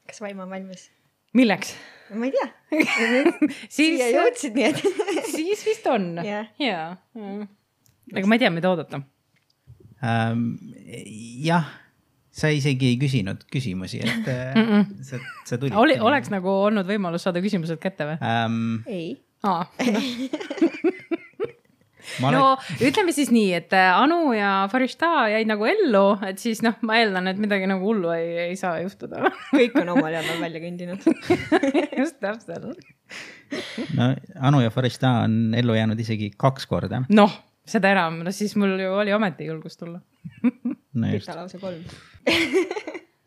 Kas Vaim on valmis? Milleks? Ma ei tea. Siia jõudsid nii, et... Siis vist on. Jaa. Aga ma ei tea, mida oodata. Jah, sa isegi ei küsinud küsimusi, et sa tulid. Oleks nagu olnud võimalus saada küsimused kätte või? Ei. No, ütleme siis nii, et Anu ja Farishta jäid nagu ellu, et siis ma eeldan, et midagi nagu hullu ei saa juhtuda. Kõik on omal jamal välja kõndinud. Just täpselt. No, Anu ja Farishta on ellu jäänud isegi 2 korda. Noh, seda enam. No siis mul ju oli ometi julgust tulla. Brita lausa 3.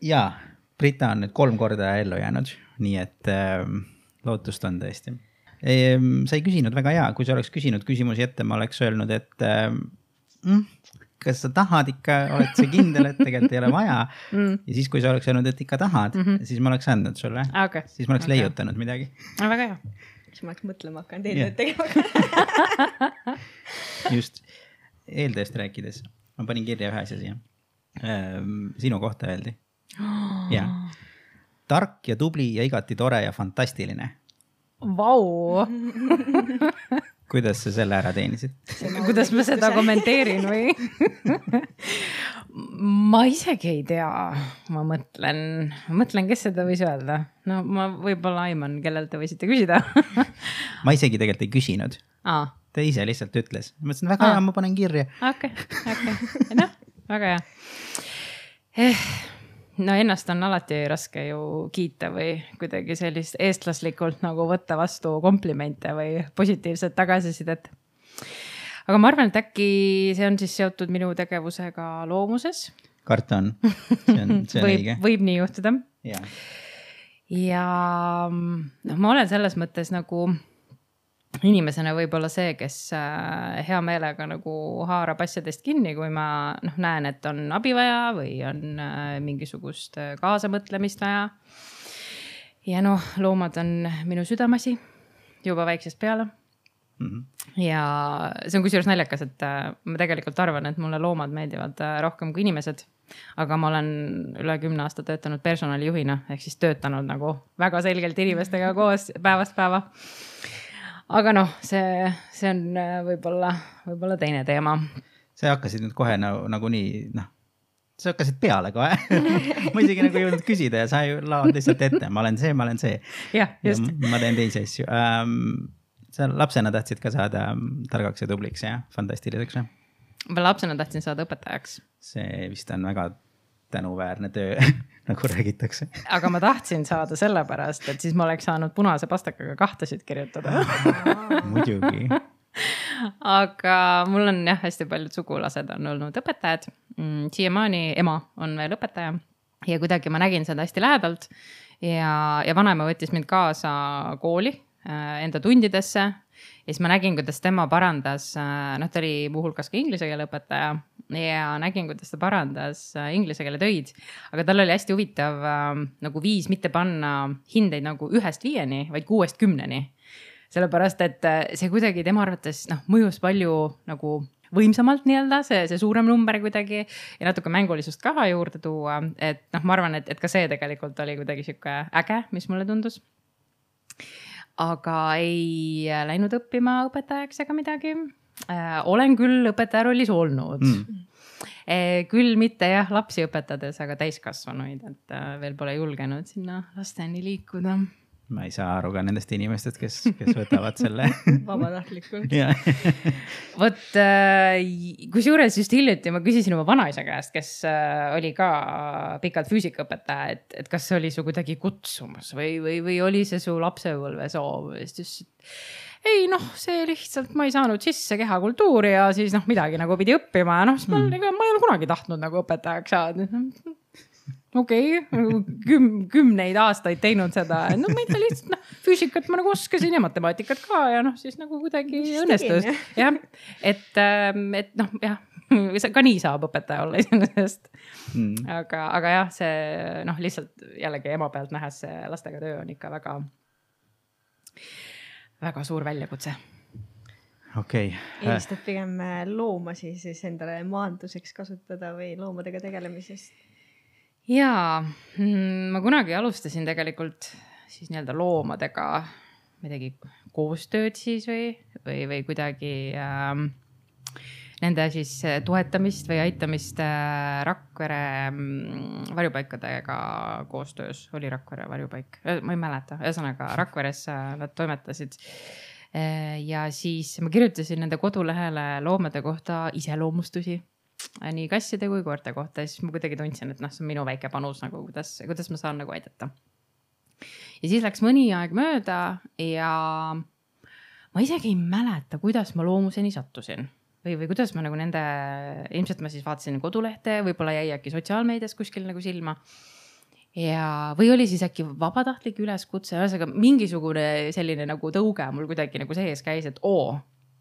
Jaa, Brita on nüüd 3 korda ellu jäänud, nii et lootust on tõesti. Sa ei küsinud väga hea, kui sa oleks küsinud küsimusi ette, ma oleks öelnud, et kas sa tahad ikka, oled sa kindel, et tegelikult ei ole vaja. Ja siis, kui sa oleks öelnud, et ikka tahad, siis ma oleks andnud sulle. Siis ma oleks leiutanud midagi. Väga hea. Siis ma oleks mõtlema hakanud eeltööd tegema. Just, eeltööst rääkides. Ma panin kirja ühe asja siia. Sinu kohta öeldi. Ja. Tark ja tubli ja igati tore ja fantastiline. Vau! Kuidas sa selle ära teenisid? Kuidas ma seda kommenteerin või? Ma isegi ei tea. Ma mõtlen, kes seda võis öelda. No ma võib-olla aiman, kellel te võisite küsida. Ma isegi tegelikult ei küsinud. Ta ise lihtsalt ütles. Ma mõtlesin, väga hea, ma panen kirja. Okei. No, väga hea. No ennast on alati raske ju kiita või kuidagi sellist eestlaslikult nagu võtta vastu komplimente või positiivset tagasisidet. Aga ma arvan, et äkki see on siis seotud minu tegevusega loomuses. Karta on. See on õige. Võib nii juhtuda. Ja ma olen selles mõttes nagu inimesena võib-olla see, kes hea meelega nagu haarab asjadest kinni, kui ma näen, et on abi vaja või on mingisugust kaasamõtlemist vaja. Ja loomad on minu südamasi juba väiksest peale. Ja see on kusjuures naljakas, et ma tegelikult arvan, et mulle loomad meeldivad rohkem kui inimesed. Aga ma olen üle 10 aasta töötanud personalijuhina, ehk siis töötanud nagu väga selgelt inimestega koos päevast päeva. Aga see on võib-olla teine teema. Sa hakkasid nüüd kohe nagu nii, sa hakkasid peale kohe. Ma isegi nagu jõudnud küsida ja sa laavad lihtsalt ette. Ma olen see. Ja, just. Ja ma teen teisi asju. Sa lapsena tahtsid ka saada targaks ja tubliks ja fantastiliseks. Ma lapsena tahtsin saada õpetajaks. See vist on väga tänuväärne töö, nagu räägitakse. Aga ma tahtsin saada sellepärast, et siis ma oleks saanud punase pastakaga 2 kirjutada. Muidugi. Aga mul on hästi paljud sugulased on olnud õpetajad. Siiamaani ema on veel õpetaja ja kuidagi ma nägin seda hästi lähedalt ja vanaema võttis mind kaasa kooli enda tundidesse. Ja siis ma nägin, kuidas tema parandas, ta oli muuhulgas ka inglise keele õpetaja ja nägin, kuidas ta parandas inglise keele töid. Aga tal oli hästi huvitav nagu viis mitte panna hindeid nagu 1-5, vaid 6-10. Sellepärast, et see kuidagi tema arvates mõjus palju nagu võimsamalt nii-öelda, see suurem number kuidagi ja natuke mängulisust ka juurde tuua. Et ma arvan, et ka see tegelikult oli kuidagi siuke äge, mis mulle tundus. Aga ei läinud õppima õpetajaks ega midagi. Olen küll õpetaja rollis olnud. Küll mitte lapsi õpetades, aga täiskasvanuid, et veel pole julgenud sinna lasteni liikuda. Ma ei saa aru ka nendest inimestest, kes võtavad selle. Vabatahtlikult. Vot, kusjuures just hiljuti ma küsisin oma vanaisa käest, kes oli ka pikalt füüsikaõpetaja, et kas see oli su kuidagi kutsumus või oli see su lapsepõlve soov. Ei, see lihtsalt, ma ei saanud sisse kehakultuuri ja siis midagi nagu pidi õppima ja siis ma ei ole kunagi tahtnud nagu õpetajaks saada. Okei, 10 aastaid teinud seda. Ma ei tea, lihtsalt füüsikat ma nagu oskasin ja matemaatikat ka ja siis nagu kuidagi õnnestus. Jah, et ka nii saab õpetaja olla iseenesest. Aga jah, see lihtsalt jällegi ema pealt nähes see lastega töö on ikka väga, väga suur väljakutse. Okei. Eelistad pigem loomasi siis endale maanduseks kasutada või loomadega tegelemisest? jaa, ma kunagi alustasin tegelikult siis nii-öelda loomadega midagi koostööd siis või kuidagi nende siis toetamist või aitamist Rakvere varjupaikadega koostöös. Oli Rakvere varjupaik, ma ei mäleta, ühesõnaga Rakveres nad toimetasid. Ja siis ma kirjutasin nende kodulehele loomade kohta iseloomustusi, nii kasside kui koerte kohta. Ja siis ma kuidagi tundsin, et see on minu väike panus, nagu kuidas ma saan nagu aidata. Ja siis läks mõni aeg mööda ja ma isegi ei mäleta, kuidas ma loomuseni sattusin. Või kuidas ma nagu nende, ilmselt ma siis vaatasin kodulehte, võib-olla jäi äkki sotsiaalmeedias kuskil nagu silma. Või oli siis äkki vabatahtlik üleskutse, ühesõnaga mingisugune selline nagu tõuge mul kuidagi nagu sees käis, et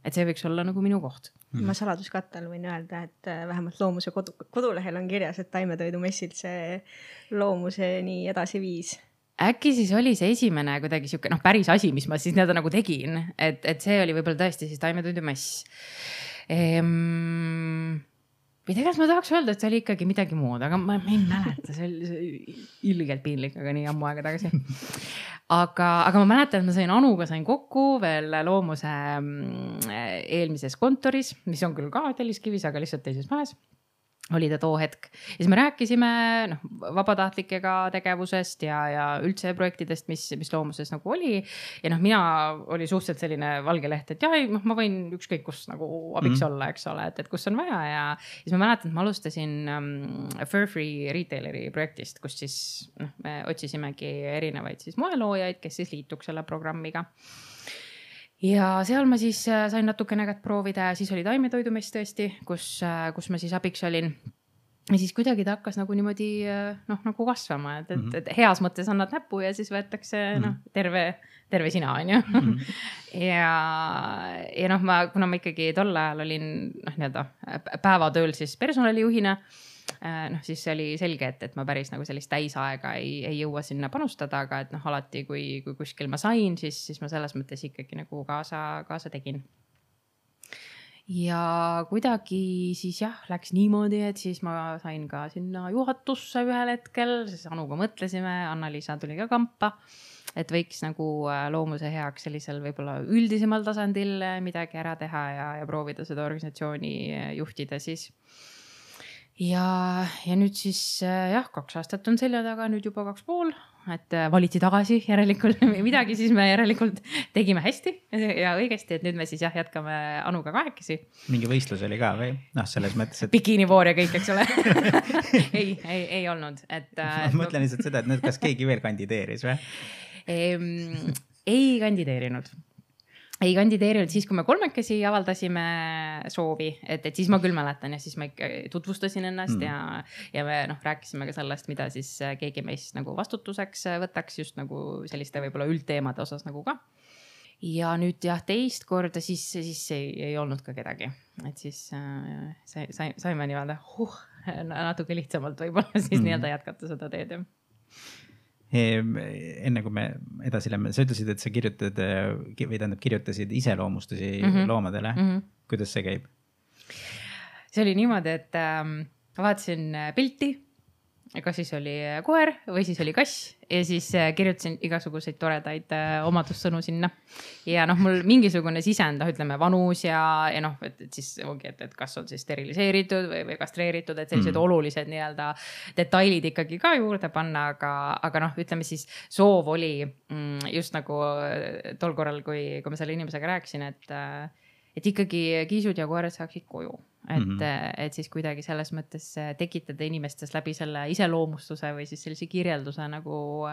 et see võiks olla nagu minu koht. Ma saladuskattel võin öelda, et vähemalt loomuse kodulehel on kirjas, et taimetoidumessilt see loomuseni edasi viis. Äkki siis oli see esimene kuidagi siuke, päris asi, mis ma siis nagu tegin, et see oli võib-olla tõesti siis taimetoidumess. Või tegelikult ma tahaks öelda, et see oli ikkagi midagi muud, aga ma ei mäleta, see oli ilgelt piinlik, aga nii ammu aega tagasi. Aga ma mäletan, et ma Anuga sain kokku veel loomuse eelmises kontoris, mis on küll ka Telliskivis, aga lihtsalt teises majas. Oli ta too hetk. Ja siis me rääkisime vabatahtlikega tegevusest ja üldse projektidest, mis loomuses nagu oli. Ja mina oli suhteliselt selline valge leht, et ma võin ükskõik kus nagu abiks olla, eks ole, et kus on vaja. Ja siis ma mäletan, et ma alustasin Fur Free Retaileri projektist, kus siis me otsisimegi erinevaid siis moeloojaid, kes siis liituks selle programmiga. Ja seal ma siis sain natukene kätt proovida ja siis oli taimetoidumess tõesti, kus ma siis abiks olin. Ja siis kuidagi ta hakkas nagu niimoodi nagu kasvama, et heas mõttes annad näpu ja siis võetakse terve sina, on ju. Ja kuna ma ikkagi tol ajal olin päevatööl siis personalijuhina, siis oli selge, et ma päris nagu sellist täisaega ei jõua sinna panustada, aga et alati, kui kuskil ma sain, siis ma selles mõttes ikkagi nagu kaasa tegin. Ja kuidagi siis läks niimoodi, et siis ma sain ka sinna juhatusse ühel hetkel, siis Anuga mõtlesime, Anna-Liisa tuli ka kampa, et võiks nagu loomuse heaks sellisel võib-olla üldisemal tasandil midagi ära teha ja proovida seda organisatsiooni juhtida siis. Ja nüüd siis 2 aastat on selja taga, nüüd juba 2,5, et valiti tagasi järelikult midagi, siis me järelikult tegime hästi ja õigesti, et nüüd me siis jätkame Anuga kahekesi. Mingi võistlus oli ka või? Selles mõttes, et... Bikinivoor ja kõik, eks ole. ei olnud. Ma mõtlen lihtsalt seda, et nüüd kas keegi veel kandideeris või? Ei kandideerinud. Ei kandideerinud siis, kui me 3 avaldasime soovi, et siis ma küll mäletan ja siis ma tutvustasin ennast ja me rääkisime ka sellest, mida siis keegi meist nagu vastutuseks võtaks just nagu selliste võib-olla üldteemade osas nagu ka. Ja nüüd teist korda siis ei olnud ka kedagi, et siis saime natuke lihtsamalt võib-olla siis nii-öelda jätkata seda teed. Enne kui me edasi lähme, sa ütlesid, et sa kirjutasid iseloomustusi loomadele. Kuidas see käib? See oli niimoodi, et vaatasin pilti, kas siis oli koer või siis oli kass ja siis kirjutasin igasuguseid toredaid omadussõnu sinna. Ja mul mingisugune sisend, ütleme vanus ja et siis ongi, et kas on siis steriliseeritud või kastreeritud, et sellised olulised nii-öelda detailid ikkagi ka juurde panna, aga ütleme siis soov oli just nagu tol korral, kui ma selle inimesega rääkisin, et ikkagi kiisud ja koerad saaksid koju. Et siis kuidagi selles mõttes tekitada inimestes läbi selle iseloomustuse või siis sellise kirjelduse nagu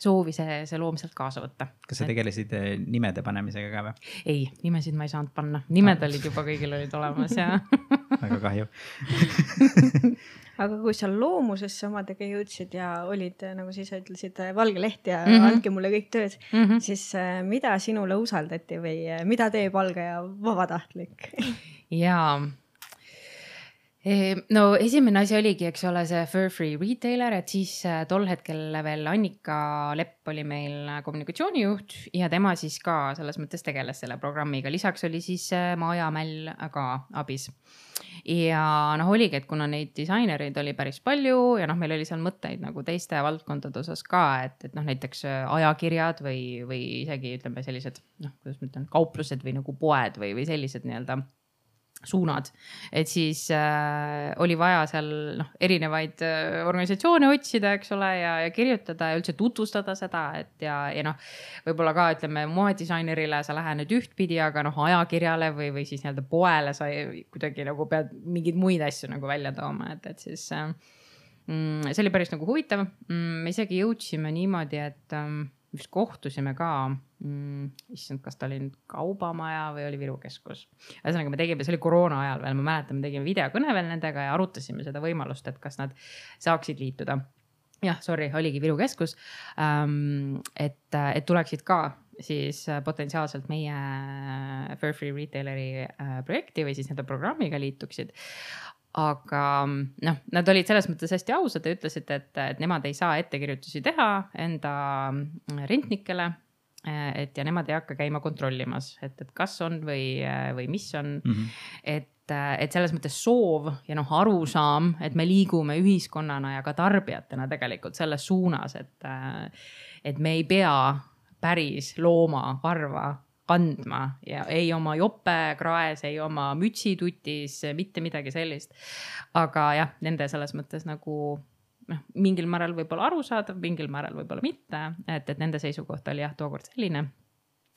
soovi see loom sealt kaasa võtta. Kas sa tegelesid nimede panemisega ka või? Ei, nimesid ma ei saanud panna. Nimed olid juba kõigil olid olemas ja... Väga kahju. Aga kui sa loomusesse omadega jõudsid ja olid, nagu siis ütlesid, valge leht ja andke mulle kõik tööd, siis mida sinule usaldati või mida teeb algaja vabatahtlik? Jaa. No esimene asi oligi, eks ole, see Fur Free Retailer, et siis tol hetkel veel Annika Lepp oli meil kommunikatsioonijuht ja tema siis ka selles mõttes tegeles selle programmiga. Lisaks oli siis Maja Mäll ka abis. Ja oligi, et kuna neid disainereid oli päris palju ja meil oli seal mõtteid nagu teiste valdkondade osas ka, et näiteks ajakirjad või isegi ütleme sellised, kuidas ma ütlen, kauplused või nagu poed või sellised nii-öelda suunad, et siis oli vaja seal erinevaid organisatsioone otsida, eks ole, ja kirjutada ja üldse tutvustada seda, et ja võib-olla ka ütleme moedisainerile sa lähened ühtpidi, aga ajakirjale või siis nii-öelda poele sa kuidagi nagu pead mingeid muid asju nagu välja tooma, et siis see oli päris nagu huvitav. Me isegi jõudsime niimoodi, et vist kohtusime ka, issand, kas ta oli nüüd Kaubamaja või oli Viru Keskus. Ühesõnaga me tegime, see oli koroona ajal veel, ma mäletan, me tegime videokõne veel nendega ja arutasime seda võimalust, et kas nad saaksid liituda. Jah, sorry, oligi Viru Keskus, et tuleksid ka siis potentsiaalselt meie Fur Free Retaileri projekti või siis nende programmiga liituksid. Aga nad olid selles mõttes hästi ausad ja ütlesid, et nemad ei saa ettekirjutusi teha enda rentnikele, et ja nemad ei hakka käima kontrollimas, et kas on või mis on. Et selles mõttes soov ja arusaam, et me liigume ühiskonnana ja ka tarbijatena tegelikult selles suunas, et me ei pea päris looma varva kandma ja ei oma jope kraes, ei oma mütsitutis, mitte midagi sellist. Aga jah, nende selles mõttes nagu mingil määral võib-olla arusaadav, mingil määral võib-olla mitte, et nende seisukoht oli jah tookord selline.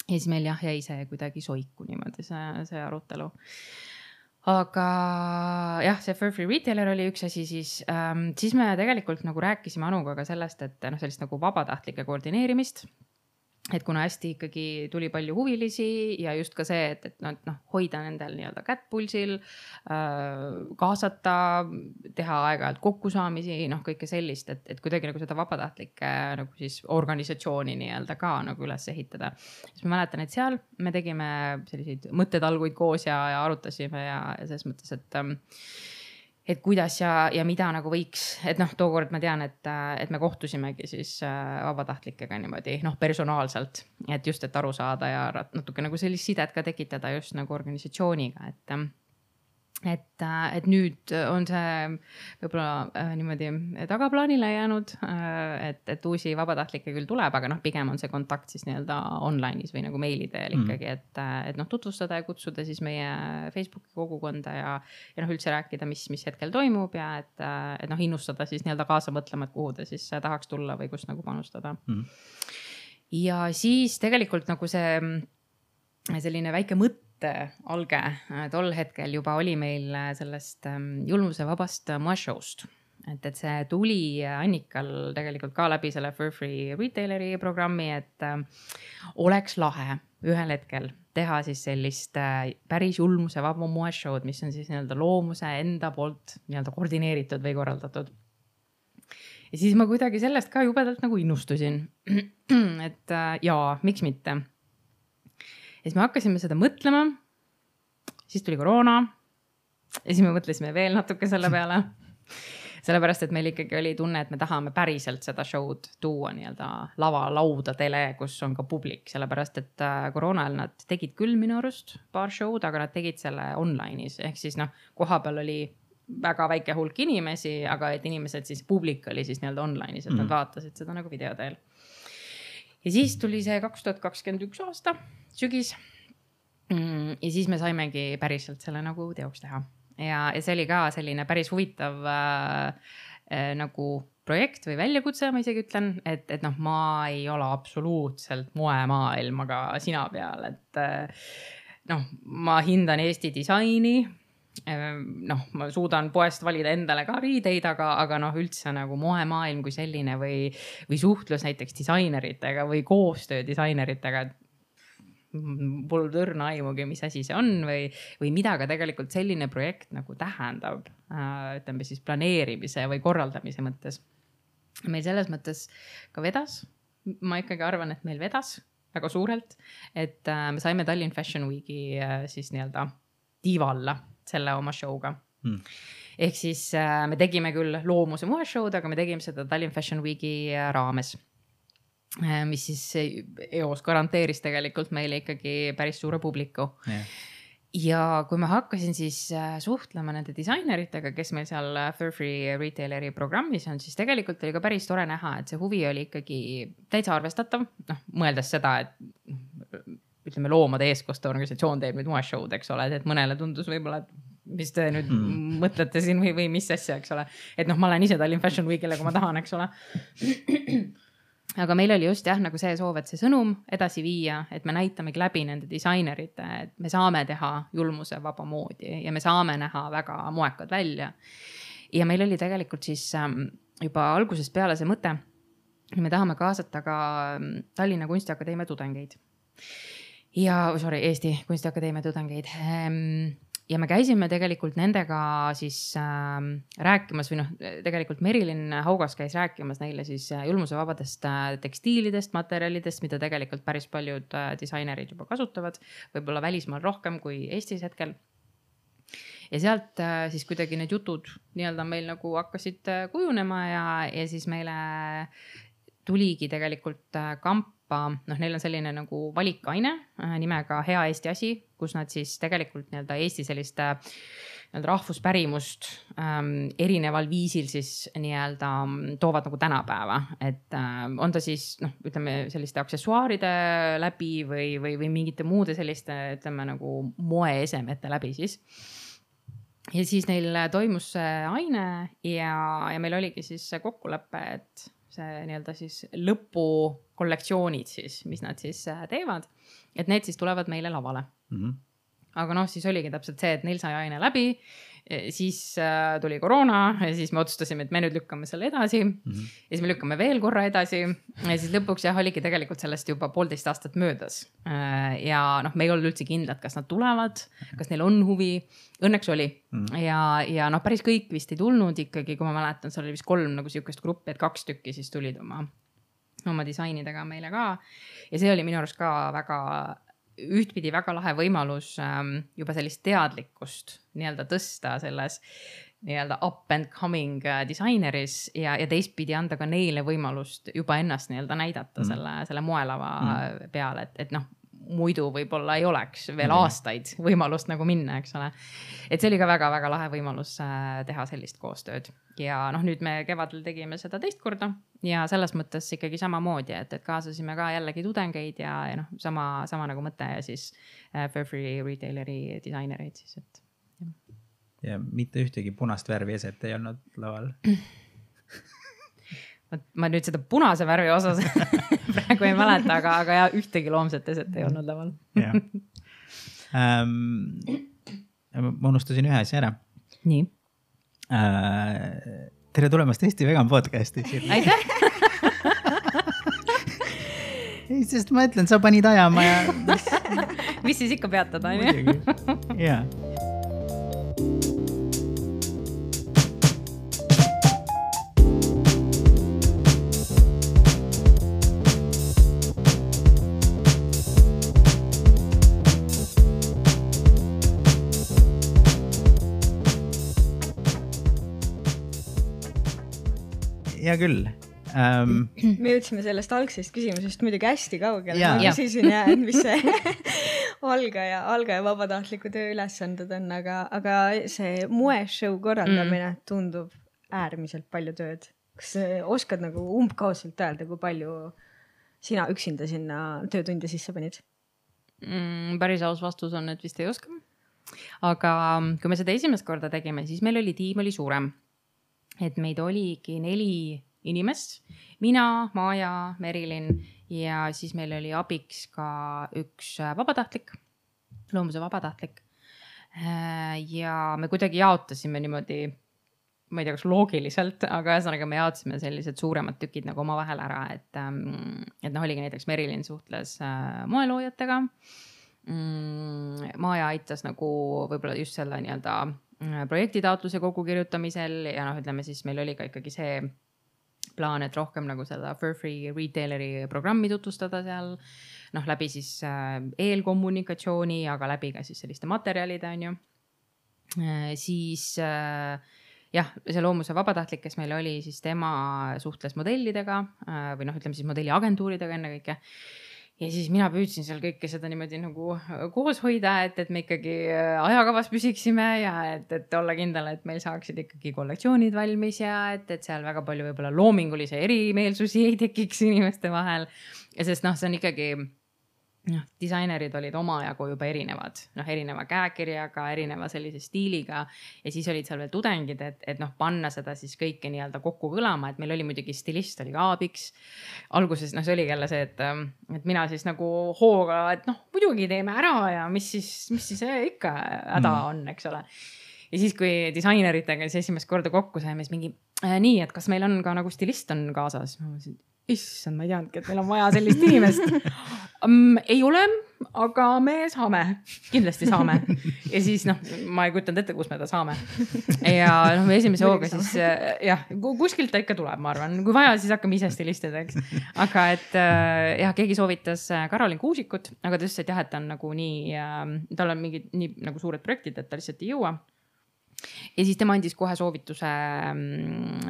Ja siis meil jäi see kuidagi soiku niimoodi see arutelu. Aga jah, see Fur Free Retailer oli üks asi, siis me tegelikult nagu rääkisime Anuga ka sellest, et sellist nagu vabatahtlike koordineerimist. Et kuna hästi ikkagi tuli palju huvilisi ja just ka see, et hoida nendel nii-öelda kätt pulsil, kaasata, teha aeg-ajalt kokkusaamisi, kõike sellist, et kuidagi nagu seda vabatahtlike nagu siis organisatsiooni nii-öelda ka nagu üles ehitada. Siis ma mäletan, et seal me tegime selliseid mõttetalguid koos ja arutasime ja selles mõttes, et kuidas ja mida nagu võiks, et tookord ma tean, et me kohtusimegi siis vabatahtlikega niimoodi personaalselt, et just, et aru saada ja natuke nagu sellist sidet ka tekitada just nagu organisatsiooniga, et nüüd on see võib-olla niimoodi tagaplaanile jäänud, et uusi vabatahtlikke küll tuleb, aga pigem on see kontakt siis nii-öelda online'is või nagu meili teel ikkagi, et tutvustada ja kutsuda siis meie Facebooki kogukonda ja üldse rääkida, mis hetkel toimub ja et innustada siis nii-öelda kaasa mõtlema, et kuhu ta siis tahaks tulla või kus nagu panustada. Ja siis tegelikult nagu see selline väike alge tol hetkel juba oli meil sellest julmuse vabast moeshow'st. Et see tuli Annikal tegelikult ka läbi selle Fur Free Retaileri programmi, et oleks lahe ühel hetkel teha siis sellist päris julmuse vaba moeshow'd, mis on siis nii-öelda loomuse enda poolt nii-öelda koordineeritud või korraldatud. Ja siis ma kuidagi sellest ka jubedalt nagu innustusin, et jaa, miks mitte. Ja siis me hakkasime seda mõtlema, siis tuli koroona ja siis me mõtlesime veel natuke selle peale. Sellepärast, et meil ikkagi oli tunne, et me tahame päriselt seda show'd tuua nii-öelda laudadele, kus on ka publik. Sellepärast, et koroona ajal nad tegid küll minu arust paar show'd, aga nad tegid selle online'is. Ehk siis koha peal oli väga väike hulk inimesi, aga et inimesed siis publik oli siis nii-öelda online'is, et nad vaatasid seda nagu video teel. Ja siis tuli see 2021 aasta sügis ja siis me saimegi päriselt selle nagu teoks teha. Ja see oli ka selline päris huvitav nagu projekt või väljakutse, ma isegi ütlen, et ma ei ole absoluutselt moemaailmaga sina peal, et ma hindan Eesti disaini, ma suudan poest valida endale ka riideid, aga üldse nagu moemaailm kui selline või suhtlus näiteks disaineritega või koostöö disaineritega, pole tõrna aimugi, mis asi see on või mida ka tegelikult selline projekt nagu tähendab, ütleme siis planeerimise või korraldamise mõttes. Meil selles mõttes ka vedas, ma ikkagi arvan, et meil vedas väga suurelt, et me saime Tallinn Fashion Weeki siis nii-öelda tiiva alla selle oma show'ga. ehk siis me tegime küll loomuse moeshow'd, aga me tegime seda Tallinn Fashion Weeki raames, mis siis eos garanteeris tegelikult meile ikkagi päris suure publiku. Ja kui ma hakkasin siis suhtlema nende disaineritega, kes meil seal Furfree retaileri programmis on, siis tegelikult oli ka päris tore näha, et see huvi oli ikkagi täitsa arvestatav, noh, mõeldes seda, et ütleme loomade eestkoste organisatsioon teeb nüüd moeshow'd, eks ole, et mõnele tundus võib-olla, et mis te nüüd mõtlete siin või mis asja, eks ole. Et noh, ma olen ise Tallinn Fashion Weekile, kui ma tahan, eks ole. Aga meil oli just jah, nagu see soov, et see sõnum edasi viia, et me näitamegi läbi nende disainerite, et me saame teha julmuse vaba moodi ja me saame näha väga moekad välja. Ja meil oli tegelikult siis juba algusest peale see mõte, me tahame kaasata ka Tallinna Kunstiakadeemia tudengeid. Eesti Kunstiakadeemia tudengeid. Ja me käisime tegelikult nendega siis rääkimas või noh, tegelikult Merilin Haugas käis rääkimas neile siis julmusevabadest tekstiilidest, materjalidest, mida tegelikult päris paljud disainerid juba kasutavad, võib-olla välismaal rohkem kui Eestis hetkel. Ja sealt siis kuidagi need jutud nii-öelda meil nagu hakkasid kujunema ja siis meile tuligi tegelikult kampa, noh, neil on selline nagu valikaine nimega Hea Eesti asi, kus nad siis tegelikult nii-öelda Eesti sellist rahvuspärimust erineval viisil siis nii-öelda toovad nagu tänapäeva, et on ta siis, noh, ütleme selliste aksessuaaride läbi või mingite muude selliste, ütleme nagu moeesemete läbi siis. Ja siis neil toimus see aine ja meil oligi siis kokkulepe, et see nii-öelda siis lõpukollektsioonid siis, mis nad siis teevad, et need siis tulevad meile lavale. Aga noh, siis oligi täpselt see, et neil sai aine läbi, siis tuli koroona ja siis me otsustasime, et me nüüd lükkame selle edasi ja siis me lükkame veel korra edasi ja siis lõpuks jah, oligi tegelikult sellest juba 1,5 aastat möödas ja noh, me ei olnud üldse kindlad, kas nad tulevad, kas neil on huvi, õnneks oli ja noh, päris kõik vist ei tulnud ikkagi, kui ma mäletan, seal oli vist 3 nagu sihukest gruppi, et 2 tükki siis tulid oma disainidega meile ka ja see oli minu arust ka väga ühtpidi väga lahe võimalus juba sellist teadlikkust nii-öelda tõsta selles nii-öelda up and coming disaineris ja teistpidi anda ka neile võimalust juba ennast nii-öelda näidata selle moelava peale, et noh, muidu võib-olla ei oleks veel aastaid võimalust nagu minna, eks ole. Et see oli ka väga-väga lahe võimalus teha sellist koostööd. Ja noh, nüüd me kevadel tegime seda teist korda ja selles mõttes ikkagi samamoodi, et kaasasime ka jällegi tudengeid ja noh, sama nagu mõte ja siis Furfree retaileri disainereid siis, et. Ja mitte ühtegi punast värvi eset ei olnud laval. Ma nüüd seda punase värvi osas praegu ei mäleta, aga ja ühtegi loomset eset ei olnud laval. Ma unustasin ühe asja ära. Nii. Tere tulemast Eesti Vegan podcasti. Aitäh! Ei, sest ma ütlen, sa panid ajama ja. Mis siis ikka peatada, on ju? Jaa. Hea küll. Me jõudsime sellest algsest küsimusest muidugi hästi kaugele. Ma küsisin ja mis see algaja vabatahtliku töö ülesanded on, aga see moeshow korraldamine tundub äärmiselt palju tööd. Kas oskad nagu umbkaudselt öelda, kui palju sina üksinda sinna töötunde sisse panid? Päris aus vastus on, et vist ei oska. Aga kui me seda esimest korda tegime, siis meil oli tiim oli suurem. Et meid oligi 4 inimest, mina, Maja, Merilin ja siis meil oli abiks ka üks vabatahtlik, loomuse vabatahtlik. Ja me kuidagi jaotasime niimoodi, ma ei tea, kas loogiliselt, aga ühesõnaga me jaotasime sellised suuremad tükid nagu oma vahel ära, et noh, oligi näiteks Merilin suhtles moeloojatega. Maja aitas nagu võib-olla just selle nii-öelda projektitaotluse kokkukirjutamisel ja noh, ütleme siis meil oli ka ikkagi see plaan, et rohkem nagu seda Furfree retaileri programmi tutvustada seal, noh läbi siis eelkommunikatsiooni, aga läbi ka siis selliste materjalide on ju. siis jah, see Loomuse vabatahtlik, kes meil oli, siis tema suhtles modellidega või ütleme siis modelliagentuuridega ennekõike. Ja siis mina püüdsin seal kõike seda niimoodi nagu koos hoida, et me ikkagi ajakavas püsiksime ja et olla kindel, et meil saaksid ikkagi kollektsioonid valmis ja et seal väga palju võib-olla loomingulise erimeelsusi ei tekiks inimeste vahel. Ja sest see on ikkagi, disainerid olid omajagu juba erinevad, erineva käekirjaga, erineva sellise stiiliga ja siis olid seal veel tudengid, et panna seda siis kõike nii-öelda kokku kõlama, et meil oli muidugi stilist, oli ka abiks. Alguses see oligi jälle see, et mina siis nagu hooga, et muidugi teeme ära ja mis siis ikka häda on, eks ole. Ja siis, kui disaineritega siis esimest korda kokku saime, siis mingi nii, et kas meil on ka nagu stilist on kaasas? Ma mõtlesin, issand, ma ei teadnudki, et meil on vaja sellist inimest. Ei ole, aga me saame, kindlasti saame. Ja siis ma ei kujutanud ette, kus me ta saame. Ja esimese hooga siis kuskilt ta ikka tuleb, ma arvan. Kui vaja, siis hakkame ise stilistideks. Aga et keegi soovitas Karolin Kuusikut, aga ta ütles, et et ta on nagu nii, tal on mingid nii nagu suured projektid, et ta lihtsalt ei jõua. Ja siis tema andis kohe soovituse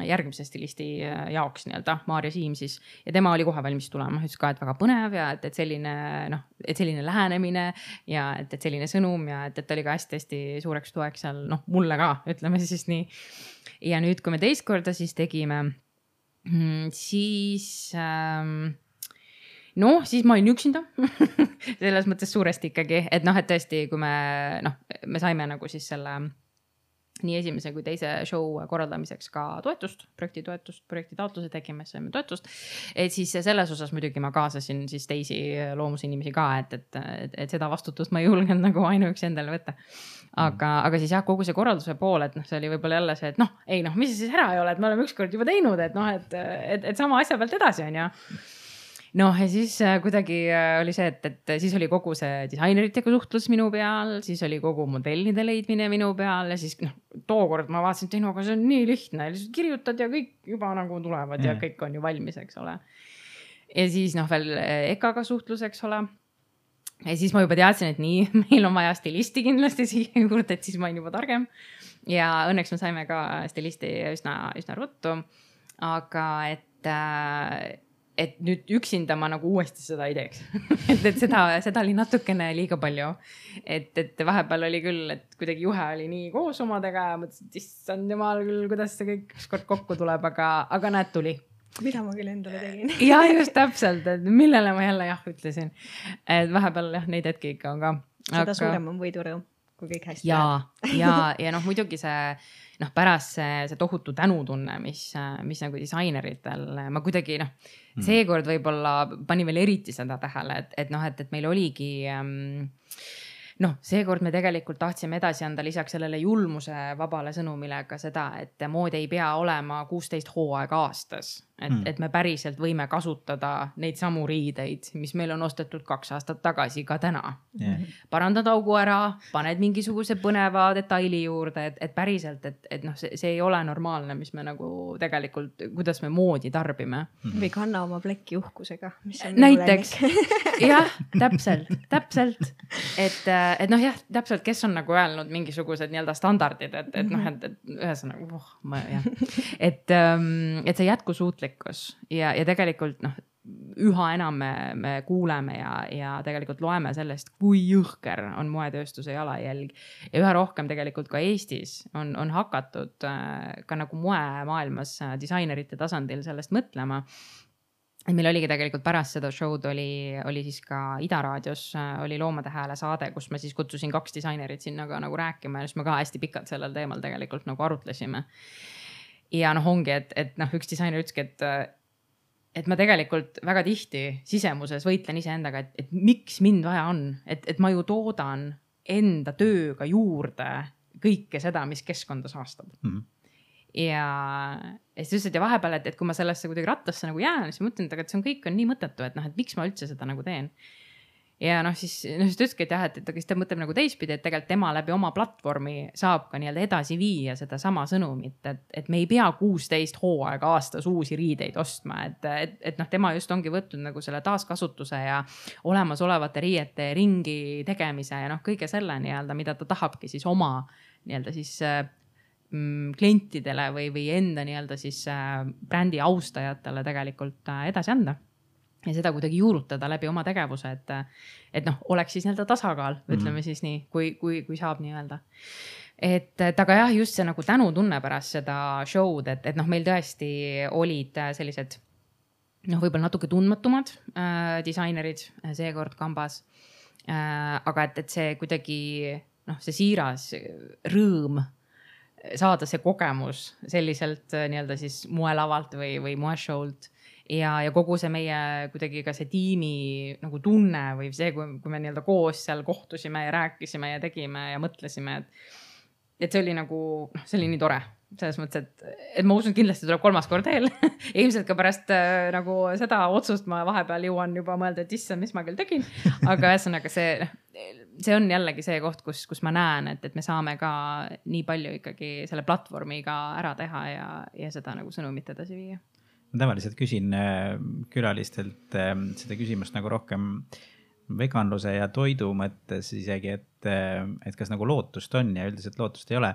järgmise stilisti jaoks nii-öelda, Maarja Siim siis. Ja tema oli kohe valmis tulema, ütles ka, et väga põnev ja et selline lähenemine ja et selline sõnum ja et oli ka hästi-hästi suureks toeks seal, mulle ka, ütleme siis nii. Ja nüüd, kui me teist korda siis tegime, siis siis ma olin üksinda selles mõttes suuresti ikkagi, et tõesti, kui me saime nagu siis selle nii esimese kui teise show korraldamiseks ka toetust, projekti taotluse tegime, saime toetust. Et siis selles osas muidugi ma kaasasin siis teisi loomusinimesi ka, et seda vastutust ma ei julgenud nagu ainuüksi endale võtta. Aga siis kogu see korralduse pool, et see oli võib-olla jälle see, et mis siis ära ei ole, et me oleme ükskord juba teinud, et sama asja pealt edasi on ja. Ja siis kuidagi oli see, et siis oli kogu see disaineritega suhtlus minu peal, siis oli kogu modellide leidmine minu peal ja siis tookord ma vaatasin, et aga see on nii lihtne, lihtsalt kirjutad ja kõik juba nagu tulevad ja kõik on ju valmis, eks ole. Ja siis veel EKA-ga suhtlus, eks ole. Ja siis ma juba teadsin, et nii, meil on vaja stilisti kindlasti siia juurde, et siis ma olin juba targem. Ja õnneks me saime ka stilisti üsna ruttu, aga et nüüd üksinda ma nagu uuesti seda ei teeks. et seda oli natukene liiga palju. Et vahepeal oli küll, et kuidagi juhe oli nii koos omadega ja mõtlesin, et issand jumal küll, kuidas see kõik ükskord kokku tuleb, aga näed tuli. Mida ma küll endale tegin. Ja just täpselt, et millele ma jälle ütlesin. Et vahepeal neid hetki ikka on ka. Seda suurem on võidurõu, kui kõik hästi ja muidugi see pärast see tohutu tänutunne, mis nagu disaineриtel, ma kuidagi seekord võib-olla pani veel eriti seda tähele, et meil oligi seekord me tegelikult tahtsime edasi anda lisaks sellele julmuse vabale sõnumile ka seda, et mood ei pea olema 16 hooaega aastas. Et me päriselt võime kasutada neid samu riideid, mis meil on ostetud 2 aastat tagasi ka täna. Parandad augu ära, paned mingisuguse põneva detaili juurde, et päriselt, et see ei ole normaalne, mis me nagu tegelikult, kuidas me moodi tarbime. Või kanna oma plekki uhkusega, mis on näiteks. Jah, täpselt. Et täpselt, kes on nagu öelnud mingisugused nii-öelda standardid, et ühesõnaga, et see jätkusuutlikkus ja tegelikult üha enam me kuuleme ja tegelikult loeme sellest, kui jõhker on moetööstuse jalajälg ja üha rohkem tegelikult ka Eestis on hakatud ka nagu moemaailmas disainerite tasandil sellest mõtlema. Meil oligi tegelikult pärast seda show'd oli siis ka Ida raadios oli Loomade Hääle saade, kus ma siis kutsusin 2 disainerit sinna ka nagu rääkima ja siis me ka hästi pikalt sellel teemal tegelikult nagu arutlesime. Ja ongi, et üks disainer ütleski, et ma tegelikult väga tihti sisemuses võitlen ise endaga, et miks mind vaja on, et ma ju toodan enda tööga juurde kõike seda, mis keskkonda saastab. Ja siis ütlesid ja vahepeal, et kui ma sellesse kuidagi rattasse nagu jään, siis mõtlen, et see on kõik on nii mõttetu, et miks ma üldse seda nagu teen. Ja siis ütleski, et ta mõtleb nagu teistpidi, et tegelikult tema läbi oma platvormi saab ka nii-öelda edasi viia seda sama sõnumit, et me ei pea 16 hooaega aastas uusi riideid ostma, et tema just ongi võtnud nagu selle taaskasutuse ja olemasolevate riiete ringi tegemise ja kõige selle nii-öelda, mida ta tahabki siis oma nii-öelda siis klientidele või enda nii-öelda siis brändi austajatele tegelikult edasi anda. Ja seda kuidagi juurutada läbi oma tegevuse, et noh, oleks siis nii-öelda tasakaal, ütleme siis nii, kui saab nii-öelda. Et aga jah, just see nagu tänutunne pärast seda show'd, et noh, meil tõesti olid sellised noh, võib-olla natuke tundmatumad disainerid seekord kambas. Aga et see kuidagi noh, see siiras rõõm saada see kogemus selliselt nii-öelda siis moelavalt või moeshow'lt. Ja kogu see meie kuidagi ka see tiimi nagu tunne või see, kui me nii-öelda koos seal kohtusime ja rääkisime ja tegime ja mõtlesime, et see oli nagu, see oli nii tore. Selles mõttes, et ma usun, kindlasti tuleb 3. kord veel. Ilmselt ka pärast nagu seda otsust ma vahepeal jõuan juba mõelda, et issand, mis ma küll tegin. Aga ühesõnaga see on jällegi see koht, kus ma näen, et me saame ka nii palju ikkagi selle platvormiga ära teha ja seda nagu sõnumit edasi viia. Ma tavaliselt küsin külalistelt seda küsimust nagu rohkem veganluse ja toidu mõttes isegi, et kas nagu lootust on ja üldiselt lootust ei ole.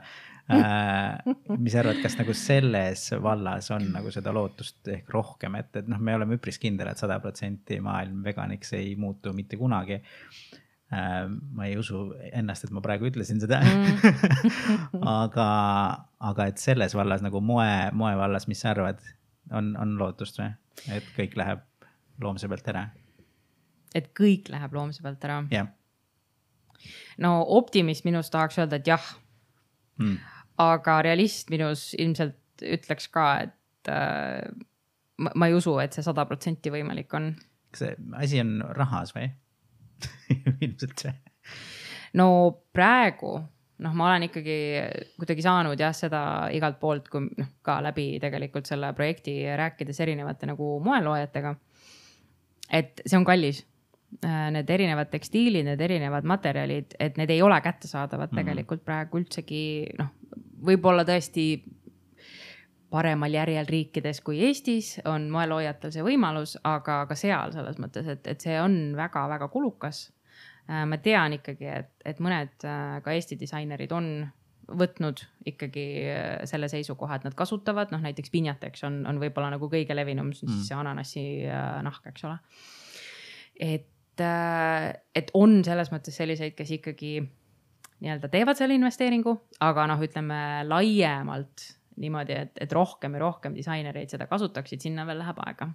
Mis arvad, kas nagu selles vallas on nagu seda lootust ehk rohkem, et noh, me oleme üpris kindel, et 100% maailm veganiks ei muutu mitte kunagi. Ma ei usu ennast, et ma praegu ütlesin seda. aga et selles vallas nagu moe vallas, mis sa arvad? On lootust või? Et kõik läheb loomse pealt ära? Et kõik läheb loomse pealt ära? Yeah. No optimist minus tahaks öelda, et jah. Aga realist minus ilmselt ütleks ka, et ma ei usu, et see 100% võimalik on. Kas see asi on rahas või? Ilmselt see. No praegu noh, ma olen ikkagi kuidagi saanud jah, seda igalt poolt, kui ka läbi tegelikult selle projekti rääkides erinevate nagu moeloojatega, et see on kallis. Need erinevad tekstiilid, need erinevad materjalid, et need ei ole kättesaadavad tegelikult praegu üldsegi, noh, võib-olla tõesti paremal järjel riikides kui Eestis on moeloojatel see võimalus, aga ka seal selles mõttes, et see on väga-väga kulukas. Ma tean ikkagi, et mõned ka Eesti disainerid on võtnud ikkagi selle seisukoha, et nad kasutavad, noh näiteks pinjateks on võib-olla nagu kõige levinum, siis see ananassi nahk, eks ole. Et on selles mõttes selliseid, kes ikkagi nii-öelda teevad selle investeeringu, aga noh, ütleme laiemalt niimoodi, et rohkem ja rohkem disainereid seda kasutaksid, sinna veel läheb aega.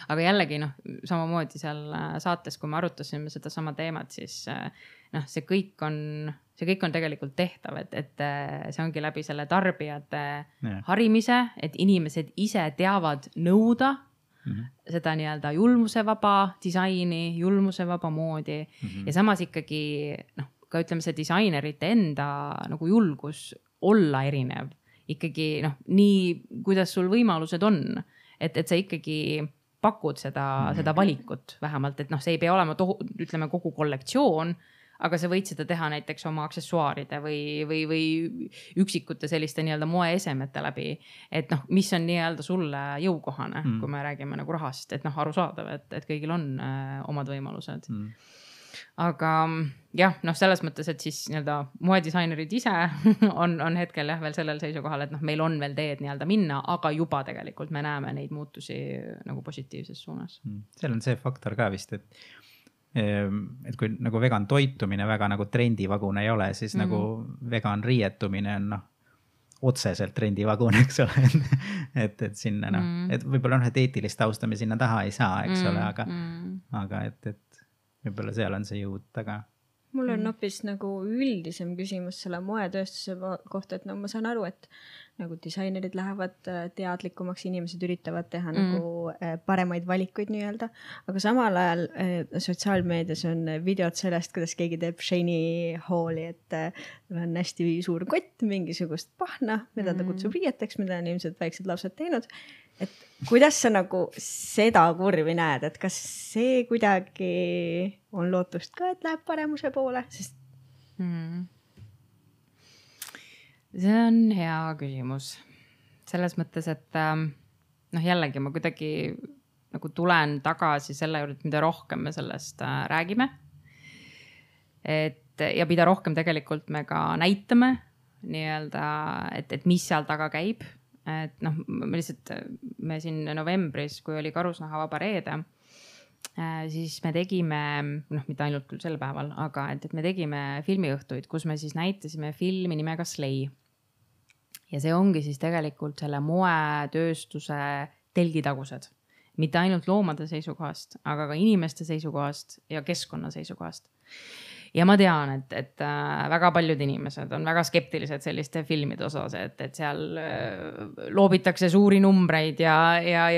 Aga jällegi noh, samamoodi seal saates, kui me arutasime seda sama teemat, siis noh, see kõik on tegelikult tehtav, et see ongi läbi selle tarbijate harimise, et inimesed ise teavad nõuda seda nii-öelda julmusevaba disaini, julmusevaba moodi ja samas ikkagi noh, ka ütleme see disainerite enda nagu julgus olla erinev ikkagi noh, nii kuidas sul võimalused on, et sa ikkagi pakud seda valikut vähemalt, et noh, see ei pea olema ütleme kogu kollektsioon, aga sa võid seda teha näiteks oma aksessuaaride või üksikute selliste nii-öelda moeesemete läbi, et noh, mis on nii-öelda sulle jõukohane, kui me räägime nagu rahast, et noh, arusaadav, et kõigil on omad võimalused. Aga jah, noh, selles mõttes, et siis nii-öelda moedisainerid ise on hetkel jah veel sellel seisukohal, et noh, meil on veel teed nii-öelda minna, aga juba tegelikult me näeme neid muutusi nagu positiivses suunas. Seal on see faktor ka vist, et kui nagu vegan toitumine väga nagu trendivagune ei ole, siis nagu vegan riietumine on noh, otseselt trendivagun, eks ole, et sinna noh, et võib-olla noh, et eetilist tausta me sinna taha ei saa, eks ole, aga et võib-olla seal on see jõud taga. Mul on hoopis nagu üldisem küsimus selle moetööstuse kohta, et no ma saan aru, et nagu disainerid lähevad teadlikumaks, inimesed üritavad teha nagu paremaid valikuid nii-öelda, aga samal ajal sotsiaalmeedias on videod sellest, kuidas keegi teeb Shani Halli, et on hästi suur kott, mingisugust pahna, mida ta kutsub riieteks, mida on ilmselt väiksed lapsed teinud. Et kuidas sa nagu seda kurvi näed, et kas see kuidagi on lootust ka, et läheb paremuse poole? Sest... See on hea küsimus. Selles mõttes, et noh, jällegi ma kuidagi nagu tulen tagasi selle juurde, mida rohkem me sellest räägime. Et ja mida rohkem tegelikult me ka näitame nii-öelda, et mis seal taga käib. Et noh, me siin novembris, kui oli Karusnahavaba reede, siis me tegime, noh, mitte ainult küll sel päeval, aga et me tegime filmiõhtuid, kus me siis näitasime filmi nimega Slay. Ja see ongi siis tegelikult selle moetööstuse telgitagused. Mitte ainult loomade seisukohast, aga ka inimeste seisukohast ja keskkonna seisukohast. Ja ma tean, et väga paljud inimesed on väga skeptilised selliste filmide osas, et seal loobitakse suuri numbreid ja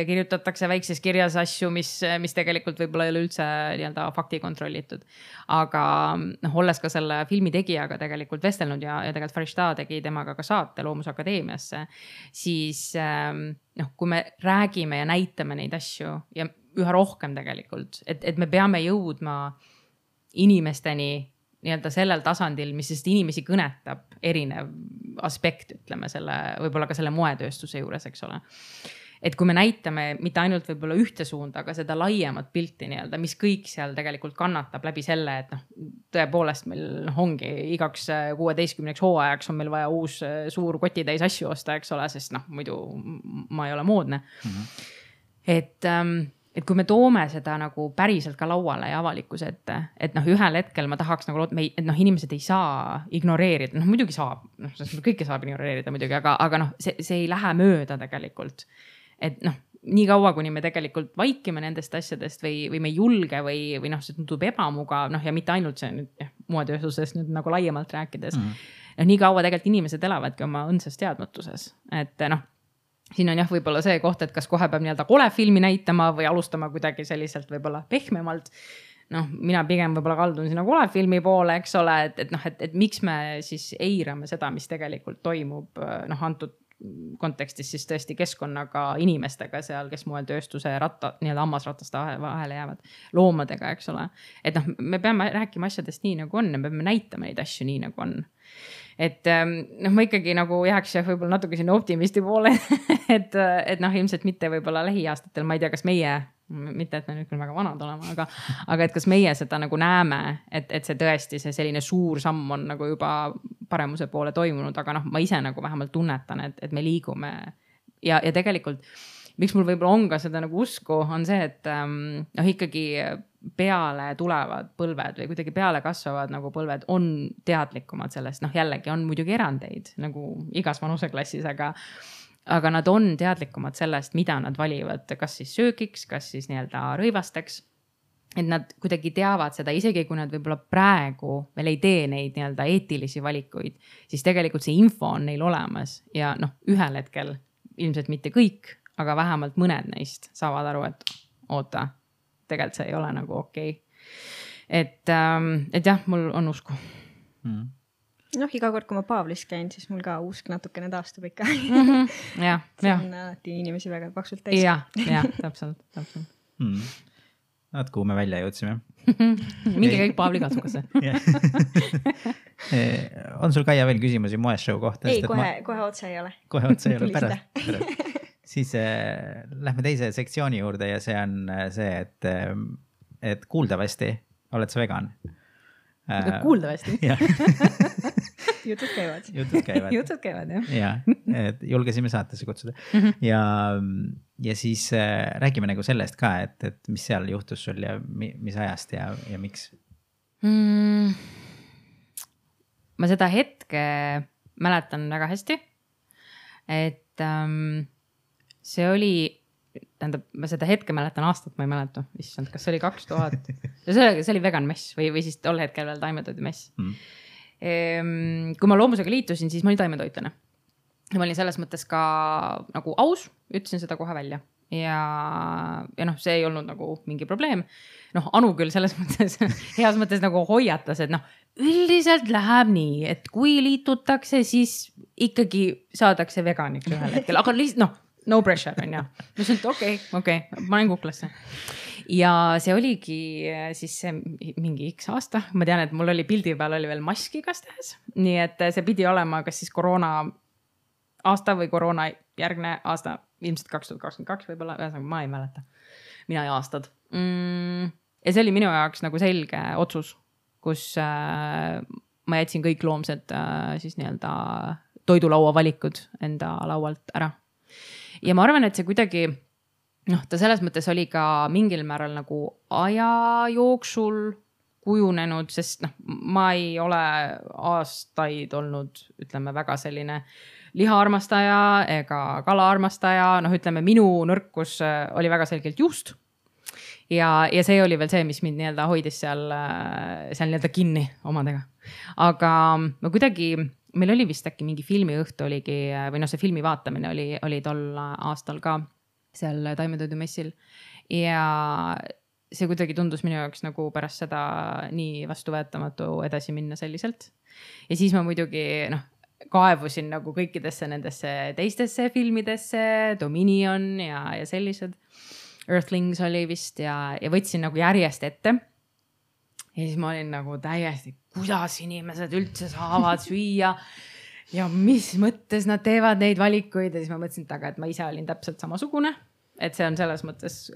kirjutatakse väikses kirjas asju, mis tegelikult võib-olla ei ole üldse nii-öelda fakti kontrollitud. Aga olles ka selle filmi tegijaga tegelikult vestelnud ja tegelikult Farishta tegi temaga ka saate Loomusakadeemiasse, siis kui me räägime ja näitame neid asju ja üha rohkem tegelikult, et me peame jõudma inimesteni nii-öelda sellel tasandil, mis sest inimesi kõnetab erinev aspekt, ütleme selle, võib-olla ka selle moetööstuse juures, eks ole. Et kui me näitame mitte ainult võib-olla ühte suunda, aga seda laiemat pilti nii-öelda, mis kõik seal tegelikult kannatab läbi selle, et tõepoolest meil ongi igaks 16 hooajaks on meil vaja uus suur kotitäis asju osta, eks ole, sest muidu ma ei ole moodne. Et kui me toome seda nagu päriselt ka lauale ja avalikkuse ette, et ühel hetkel ma tahaks nagu, et inimesed ei saa ignoreerida, muidugi saab, kõike saab ignoreerida muidugi, aga see ei lähe mööda tegelikult. Et nii kaua, kuni me tegelikult vaikime nendest asjadest või me ei julge või see tundub ebamugav, ja mitte ainult see nüüd moetööstusest nüüd nagu laiemalt rääkides. Nii kaua tegelikult inimesed elavadki oma õndsas teadmatuses, et siin on võib-olla see koht, et kas kohe peab nii-öelda kole filmi näitama või alustama kuidagi selliselt võib-olla pehmemalt. Mina pigem võib-olla kaldun sinna kole filmi poole, eks ole, et miks me siis eirame seda, mis tegelikult toimub antud kontekstis siis tõesti keskkonnaga inimestega seal, kes moel tööstuse nii-öelda hammasrataste vahele jäävad loomadega, eks ole. Et me peame rääkima asjadest nii nagu on ja me peame näitama neid asju nii nagu on. Et ma ikkagi nagu jääks võib-olla natuke sinna optimisti poole, et ilmselt mitte võib-olla lähiaastatel, ma ei tea, kas meie, mitte et me nüüd küll väga vanad olema, aga et kas meie seda nagu näeme, et see tõesti see selline suur samm on nagu juba paremuse poole toimunud, aga ma ise nagu vähemalt tunnetan, et me liigume ja tegelikult miks mul võib-olla on ka seda nagu usku, on see, et ikkagi peale tulevad põlved või kuidagi peale kasvavad nagu põlved on teadlikumad sellest. Jällegi on muidugi erandeid nagu igas vanuseklassis, aga nad on teadlikumad sellest, mida nad valivad, kas siis söögiks, kas siis nii-öelda rõivasteks. Et nad kuidagi teavad seda, isegi kui nad võib-olla praegu veel ei tee neid nii-öelda eetilisi valikuid, siis tegelikult see info on neil olemas ja ühel hetkel ilmselt mitte kõik, aga vähemalt mõned neist saavad aru, et oota, tegelikult see ei ole nagu okei. Et jah, mul on usku. Iga kord, kui ma Paavlis käin, siis mul ka usk natukene taastub ikka. Ja. See on alati inimesi väga paksult täis. Ja, täpselt. Kuhu me välja jõudsime. Mingi kõik Paavli katsukasse. On sul Kaia veel küsimusi moeshow kohta? Ei, kohe otse ei ole. Kohe otse ei ole, pärast. Siis lähme teise sektsiooni juurde ja see on see, et kuuldavasti oled sa vegan. Kuuldavasti? Jutud käivad. Jutud käivad, jah. Ja, et julgesime saatesse kutsuda. Ja siis räägime nagu sellest ka, et mis seal juhtus sul ja mis ajast ja miks? Ma seda hetke mäletan väga hästi, et see oli, tähendab, ma seda hetke mäletan aastat, ma ei mäleta, issand, kas see oli 2000, see oli vegan mess või siis tol hetkel veel taimetoidu mess. Kui ma loomusega liitusin, siis ma olin taimetoitlane. Ja ma olin selles mõttes ka nagu aus, ütlesin seda kohe välja. Ja see ei olnud nagu mingi probleem. Anu küll selles mõttes, heas mõttes nagu hoiatas, et üldiselt läheb nii, et kui liitutakse, siis ikkagi saadakse veganiks ühel hetkel, aga lihtsalt no pressure on ja. Ma ütlesin, et okei, ma olen kuklasse. Ja see oligi siis mingi X aasta. Ma tean, et mul oli pildi peal oli veel maski igastahes. Nii et see pidi olema kas siis koroona aasta või koroona järgne aasta, ilmselt 2022 võib-olla, ühesõnaga ma ei mäleta. Mina ei aastad. Ja see oli minu jaoks nagu selge otsus, kus ma jätsin kõik loomsed siis nii-öelda toidulaua valikud enda laualt ära. Ja ma arvan, et see kuidagi, ta selles mõttes oli ka mingil määral nagu aja jooksul kujunenud, sest ma ei ole aastaid olnud, ütleme, väga selline lihaarmastaja ega kalaarmastaja, ütleme, minu nõrkus oli väga selgelt juust. Ja see oli veel see, mis mind nii-öelda hoidis seal nii-öelda kinni omadega. Aga ma kuidagi, meil oli vist äkki mingi filmiõhtu oligi, või see filmi vaatamine oli tol aastal ka seal Taimetoidumessil. Ja see kuidagi tundus minu jaoks nagu pärast seda nii vastuvõetamatu edasi minna selliselt. Ja siis ma muidugi kaevusin nagu kõikidesse nendesse teistesse filmidesse, Dominion ja sellised. Earthlings oli vist ja võtsin nagu järjest ette. Ja siis ma olin nagu täiesti, kuidas inimesed üldse saavad süüa ja mis mõttes nad teevad neid valikuid. Ja siis ma mõtlesin, et ma ise olin täpselt samasugune. Et see on selles mõttes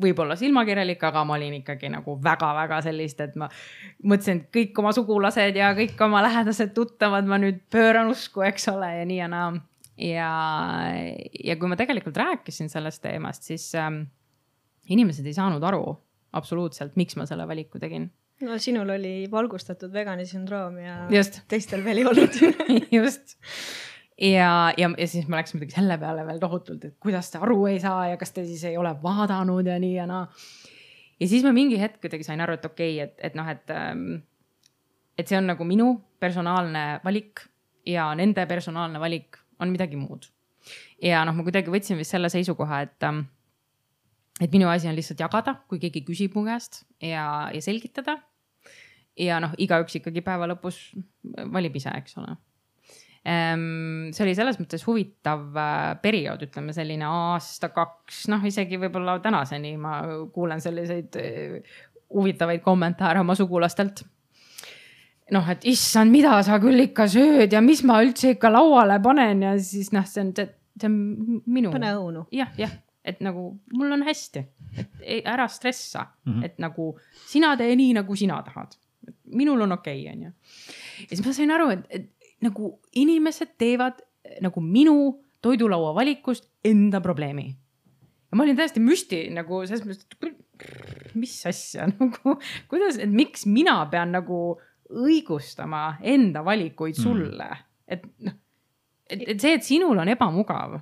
võib-olla silmakirjalik, aga ma olin ikkagi nagu väga-väga sellist, et ma mõtlesin, et kõik oma sugulased ja kõik oma lähedased tuttavad, ma nüüd pööran usku, eks ole, ja nii ja naa. Ja kui ma tegelikult rääkisin sellest teemast, siis inimesed ei saanud aru absoluutselt, miks ma selle valiku tegin. No sinul oli valgustatud vegani sündroom ja just. Teistel veel ei olnud. Just. Ja siis ma läksin midagi selle peale veel tohutult, et kuidas te aru ei saa ja kas te siis ei ole vaadanud ja nii ja naa. Ja siis ma mingi hetk kuidagi sain aru, et okei, et see on nagu minu personaalne valik ja nende personaalne valik on midagi muud. Ja ma kuidagi võtsin vist selle seisukoha, et minu asi on lihtsalt jagada, kui keegi küsib mu käest ja selgitada. Ja igaüks ikkagi päeva lõpus valib ise, eks ole. See oli selles mõttes huvitav periood, ütleme selline aasta, 2, isegi võib-olla tänaseni ma kuulen selliseid huvitavaid kommentaare oma sugulastelt. Et issand, mida sa küll ikka sööd ja mis ma üldse ikka lauale panen ja siis see on minu. Pane õunu. Jah, et nagu mul on hästi, et ära stressa, et nagu sina tee nii, nagu sina tahad. Minul on okei, on ju. Ja siis ma sain aru, et nagu inimesed teevad nagu minu toidulaua valikust enda probleemi. Ja ma olin täiesti müsti nagu selles mõttes, mis asja, nagu, kuidas, et miks mina pean nagu õigustama enda valikuid sulle. Et see, et sinul on ebamugav,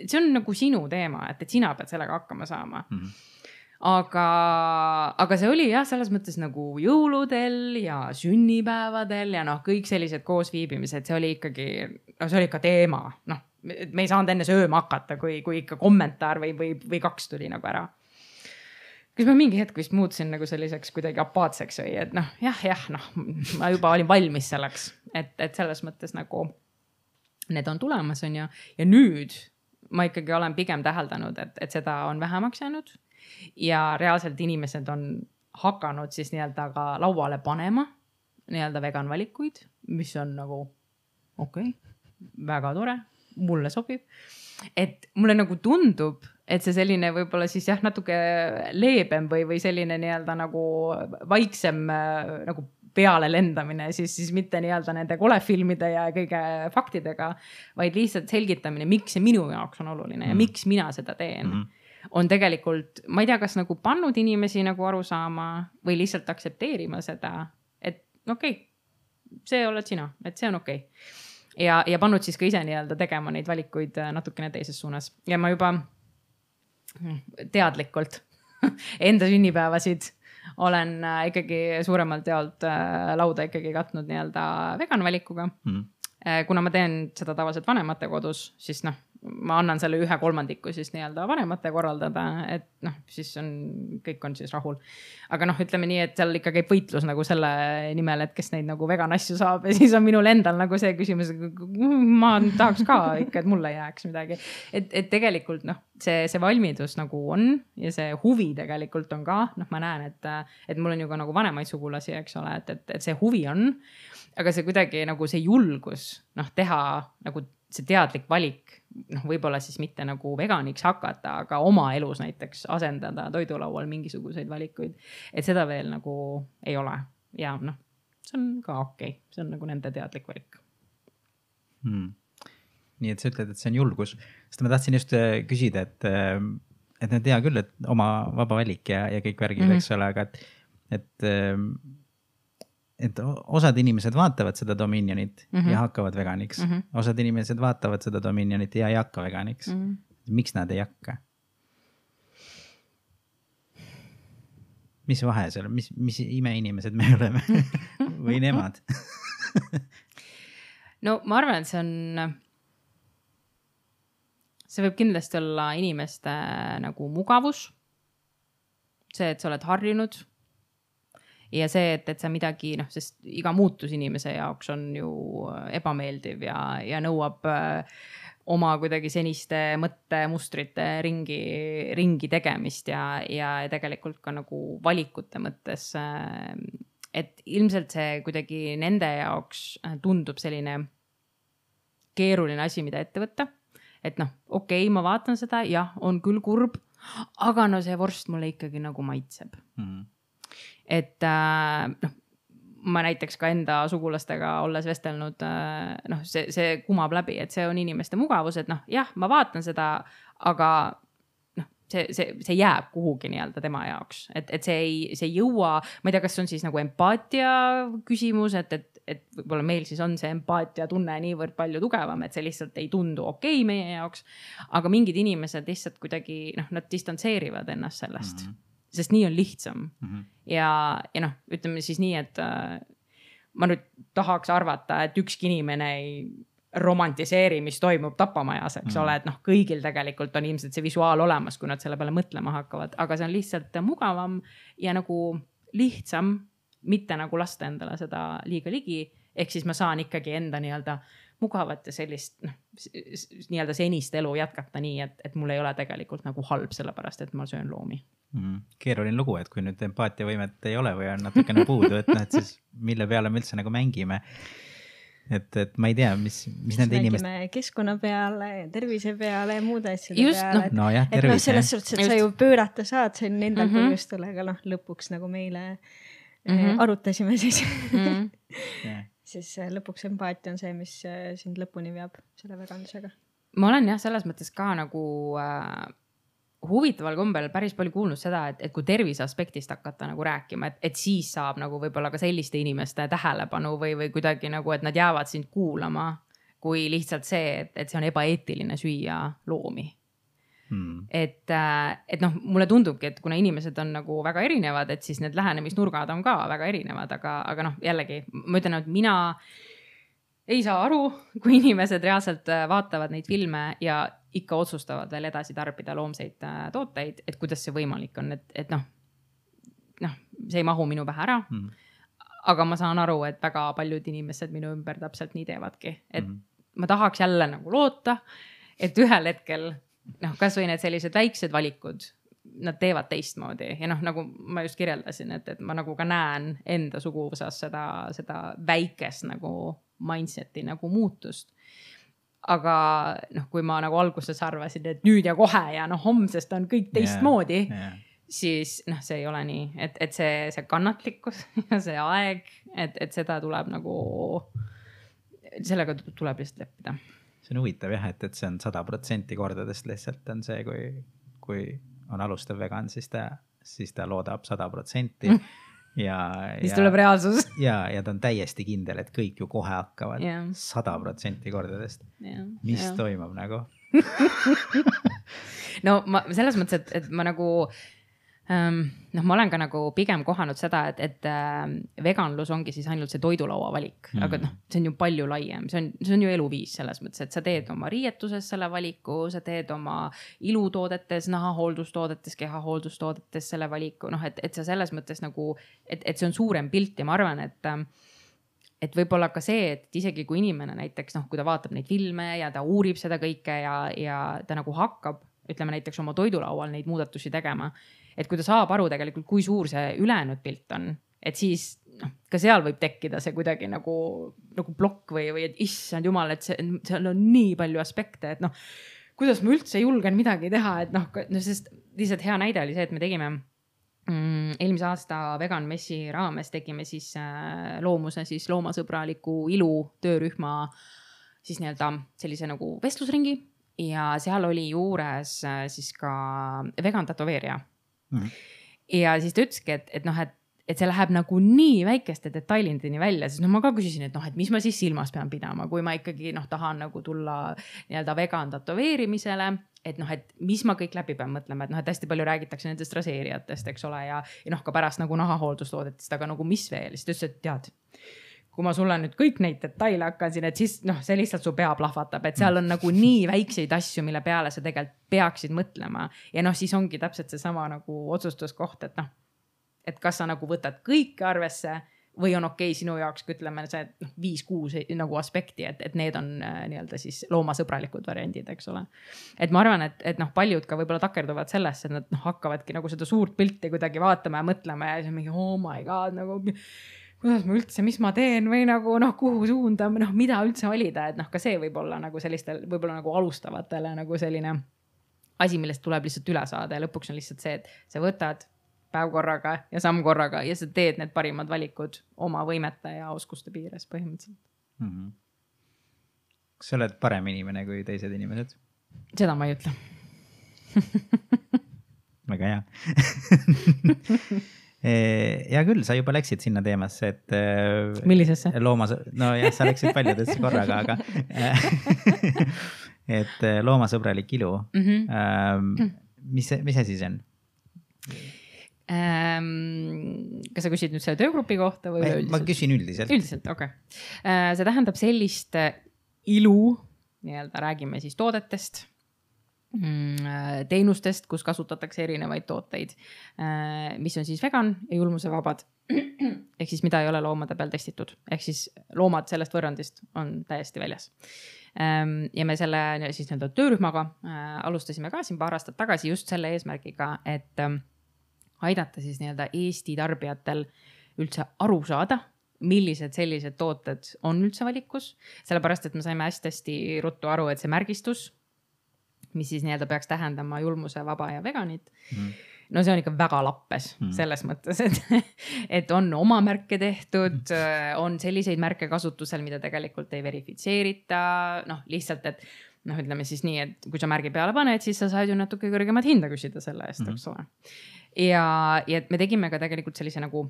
see on nagu sinu teema, et sina pead sellega hakkama saama. Aga see oli jah, selles mõttes nagu jõuludel ja sünnipäevadel ja kõik sellised koosviibimised, see oli ikkagi, see oli ikka teema. Me ei saanud enne sööma hakata, kui ikka kommentaar või 2 tuli nagu ära. Kus ma mingi hetk vist muutusin nagu selliseks kuidagi apaatseks või, et ma juba olin valmis selleks, et selles mõttes nagu need on tulemas on ja nüüd ma ikkagi olen pigem täheldanud, et seda on vähemaks jäänud. Ja reaalselt inimesed on hakanud siis nii-öelda ka lauale panema nii-öelda vegan valikuid, mis on nagu okei, väga tore, mulle sobib. Et mulle nagu tundub, et see selline võib-olla siis jah, natuke leebem või selline nii-öelda nagu vaiksem nagu peale lendamine, siis mitte nii-öelda nende kolefilmide ja kõige faktidega, vaid lihtsalt selgitamine, miks see minu jaoks on oluline ja miks mina seda teen. On tegelikult, ma ei tea, kas nagu pannud inimesi nagu aru saama või lihtsalt aktsepteerima seda, et okei, see oled sina, et see on okei. Ja pannud siis ka ise nii-öelda tegema neid valikuid natukene teises suunas. Ja ma juba teadlikult enda sünnipäevasid olen ikkagi suuremalt jaolt lauda ikkagi katnud nii-öelda vegan valikuga. Kuna ma teen seda tavaliselt vanemate kodus, siis ma annan selle 1/3 siis nii-öelda vanemate korraldada, et siis kõik on siis rahul. Aga ütleme nii, et seal ikka käib võitlus nagu selle nimel, et kes neid nagu vegan asju saab ja siis on minul endal nagu see küsimus, ma tahaks ka ikka, et mulle jääks midagi. Et tegelikult see valmidus nagu on ja see huvi tegelikult on ka, ma näen, et mul on ju ka nagu vanemaid sugulasi, eks ole, et see huvi on, aga see kuidagi nagu see julgus teha nagu see teadlik valik, võib-olla siis mitte nagu veganiks hakata, aga oma elus näiteks asendada toidulaual mingisuguseid valikuid, et seda veel nagu ei ole. ja noh, see on ka okei. See on nagu nende teadlik valik. Nii et sa ütled, et see on julgus. Sest ma tahtsin just küsida, et nad tea küll, et oma vaba valik ja kõik värgid, eks ole, aga et osad inimesed vaatavad seda Dominionit ja hakkavad veganiks. Osad inimesed vaatavad seda Dominionit ja ei hakka veganiks. Miks nad ei hakka? Mis vahe seal? Mis imeinimesed me oleme? Või nemad? No ma arvan, et see võib kindlasti olla inimeste nagu mugavus. See, et sa oled harjunud. Ja see, et sa midagi, sest iga muutus inimese jaoks on ju ebameeldiv ja nõuab oma kuidagi seniste mõttemustrite ringi tegemist ja tegelikult ka nagu valikute mõttes. Et ilmselt see kuidagi nende jaoks tundub selline keeruline asi, mida ette võtta. Et okei, ma vaatan seda, jah, on küll kurb, aga see vorst mulle ikkagi nagu maitseb. Et ma näiteks ka enda sugulastega olles vestelnud, see kumab läbi, et see on inimeste mugavus, et jah, ma vaatan seda, aga see jääb kuhugi nii-öelda tema jaoks, et see ei jõua, ma ei tea, kas on siis nagu empaatia küsimus, et võib-olla meil siis on see empaatia tunne niivõrd palju tugevam, et see lihtsalt ei tundu okei meie jaoks, aga mingid inimesed lihtsalt kuidagi, nad distantseerivad ennast sellest. Sest nii on lihtsam. Ja ütleme siis nii, et ma nüüd tahaks arvata, et ükski inimene ei romantiseeri, mis toimub tapamajas, eks ole, et kõigil tegelikult on ilmselt see visuaal olemas, kui nad selle peale mõtlema hakkavad, aga see on lihtsalt mugavam ja nagu lihtsam, mitte nagu lasta endale seda liiga ligi, ehk siis ma saan ikkagi enda nii-öelda mugavat ja sellist nii-öelda senist elu jätkata nii, et mul ei ole tegelikult nagu halb sellepärast, et ma söön loomi. Keeruline lugu, et kui nüüd empaatiavõimet ei ole või on natukene puudu, et siis mille peale me üldse nagu mängime. Et ma ei tea, mis nende inimest... Mängime keskkonna peale, tervise peale ja muude asjade peale. No jah, tervise. Selles suhtes, et sa ju pöörata saad, see on nendel põhjustel, aga lõpuks nagu meile arutasime siis. Siis lõpuks empaatia on see, mis sind lõpuni veab selle veganlusega. Ma olen jah, selles mõttes ka nagu huvitaval kombel päris palju kuulnud seda, et kui tervise aspektist hakata nagu rääkima, et siis saab nagu võib-olla ka selliste inimeste tähelepanu või kuidagi nagu, et nad jäävad sind kuulama, kui lihtsalt see, et see on ebaeetiline süüa loomi. Et mulle tundubki, et kuna inimesed on nagu väga erinevad, et siis need lähenemisnurgad on ka väga erinevad, aga jällegi, ma ütlen, et mina ei saa aru, kui inimesed reaalselt vaatavad neid filme ja ikka otsustavad veel edasi tarbida loomseid tooteid, et kuidas see võimalik on, et see ei mahu minu pähe ära, aga ma saan aru, et väga paljud inimesed minu ümber täpselt nii teevadki, et ma tahaks jälle nagu loota, et ühel hetkel kas või need sellised väiksed valikud, nad teevad teistmoodi ja nagu ma just kirjeldasin, et ma nagu ka näen enda suguvõsas seda väikest nagu mindseti nagu muutust. Aga kui ma nagu alguses arvasin, et nüüd ja kohe ja homsest on kõik teistmoodi, siis see ei ole nii, et see kannatlikkus ja see aeg, et seda tuleb nagu, sellega tuleb lihtsalt leppida. See on huvitav jah, et see on 100% kordadest lihtsalt on see, kui on alustav vegan, siis ta loodab 100%. Siis tuleb reaalsus. Ja ta on täiesti kindel, et kõik ju kohe hakkavad 100% kordadest. Mis toimub nagu? No selles mõttes, et ma nagu ma olen ka nagu pigem kohanud seda, et veganlus ongi siis ainult see toidulaua valik, aga see on ju palju laiem, see on ju eluviis selles mõttes, et sa teed oma riietuses selle valiku, sa teed oma ilutoodetes, nahahooldustoodetes, kehahooldustoodetes selle valiku, et sa selles mõttes nagu, et see on suurem pilt ja ma arvan, et võib-olla ka see, et isegi kui inimene näiteks, kui ta vaatab neid filme ja ta uurib seda kõike ja ta nagu hakkab, ütleme näiteks oma toidulaual neid muudatusi tegema, et kui ta saab aru tegelikult, kui suur see ülejäänud pilt on, et siis ka seal võib tekkida see kuidagi nagu plokk või et issand jumal, et seal on nii palju aspekte, et kuidas ma üldse julgen midagi teha, et sest lihtsalt hea näide oli see, et me tegime eelmise aasta Vegan Messi raames tegime siis loomuse siis loomasõbraliku ilu töörühma siis nii-öelda sellise nagu vestlusringi ja seal oli juures siis ka vegan tätoveerija. Ja siis ta ütleski, et see läheb nagu nii väikeste detailindini välja, siis ma ka küsisin, et et mis ma siis silmas pean pidama, kui ma ikkagi tahan nagu tulla nii-öelda vegan tätoveerimisele, et mis ma kõik läbi pean mõtlema, et hästi palju räägitakse nendest raseerijatest, eks ole, ja ka pärast nagu nahahooldustoodetest, aga nagu mis veel, siis ta ütles, et tead, kui ma sulle nüüd kõik neid detaile hakkan siin, et siis see lihtsalt su pea plahvatab, et seal on nagu nii väikseid asju, mille peale sa tegelikult peaksid mõtlema ja siis ongi täpselt seesama nagu otsustuskoht, et kas sa nagu võtad kõike arvesse või on okei sinu jaoks, kui ütleme see 5-6 nagu aspekti, et need on nii-öelda siis loomasõbralikud variandid, eks ole. Et ma arvan, et paljud ka võib-olla takerduvad sellesse, et nad hakkavadki nagu seda suurt pilti kuidagi vaatama ja mõtlema ja siis mingi oh my god, nagu kuidas ma üldse, mis ma teen või nagu kuhu suunda, mida üldse valida, et ka see võib olla nagu sellistel võib-olla nagu alustavatele nagu selline asi, millest tuleb lihtsalt üle saada ja lõpuks on lihtsalt see, et sa võtad päev korraga ja samm korraga ja sa teed need parimad valikud oma võimete ja oskuste piires põhimõtteliselt. Kas sa oled parem inimene kui teised inimesed? Seda ma ei ütle. Väga hea. Hea küll, sa juba läksid sinna teemasse, et millisesse? No jah, sa läksid paljudesse korraga, aga et loomasõbralik ilu. Mis see siis on? Kas sa küsid nüüd selle töögrupi kohta või üldiselt? Ma küsin üldiselt. Üldiselt, okei. See tähendab sellist ilu, nii-öelda räägime siis toodetest, teenustest, kus kasutatakse erinevaid tooteid, mis on siis vegan ja julmusevabad. Ehk siis mida ei ole loomade peal testitud. Ehk siis loomad sellest võrrandist on täiesti väljas. Ja me selle siis nii-öelda töörühmaga alustasime ka siin paar aastat tagasi just selle eesmärgiga, et aidata siis nii-öelda Eesti tarbijatel üldse aru saada, millised sellised tooted on üldse valikus. Sellepärast, et me saime hästi ruttu aru, et see märgistus, mis siis nii-öelda peaks tähendama julmuse, vaba ja veganit, no see on ikka väga lappes selles mõttes, et on oma märke tehtud, on selliseid märke kasutusel, mida tegelikult ei verifitseerita, lihtsalt, et ütleme siis nii, et kui sa märgi peale paned, siis sa saad ju natuke kõrgemat hinda küsida selle eest, eks ole. Ja me tegime ka tegelikult sellise nagu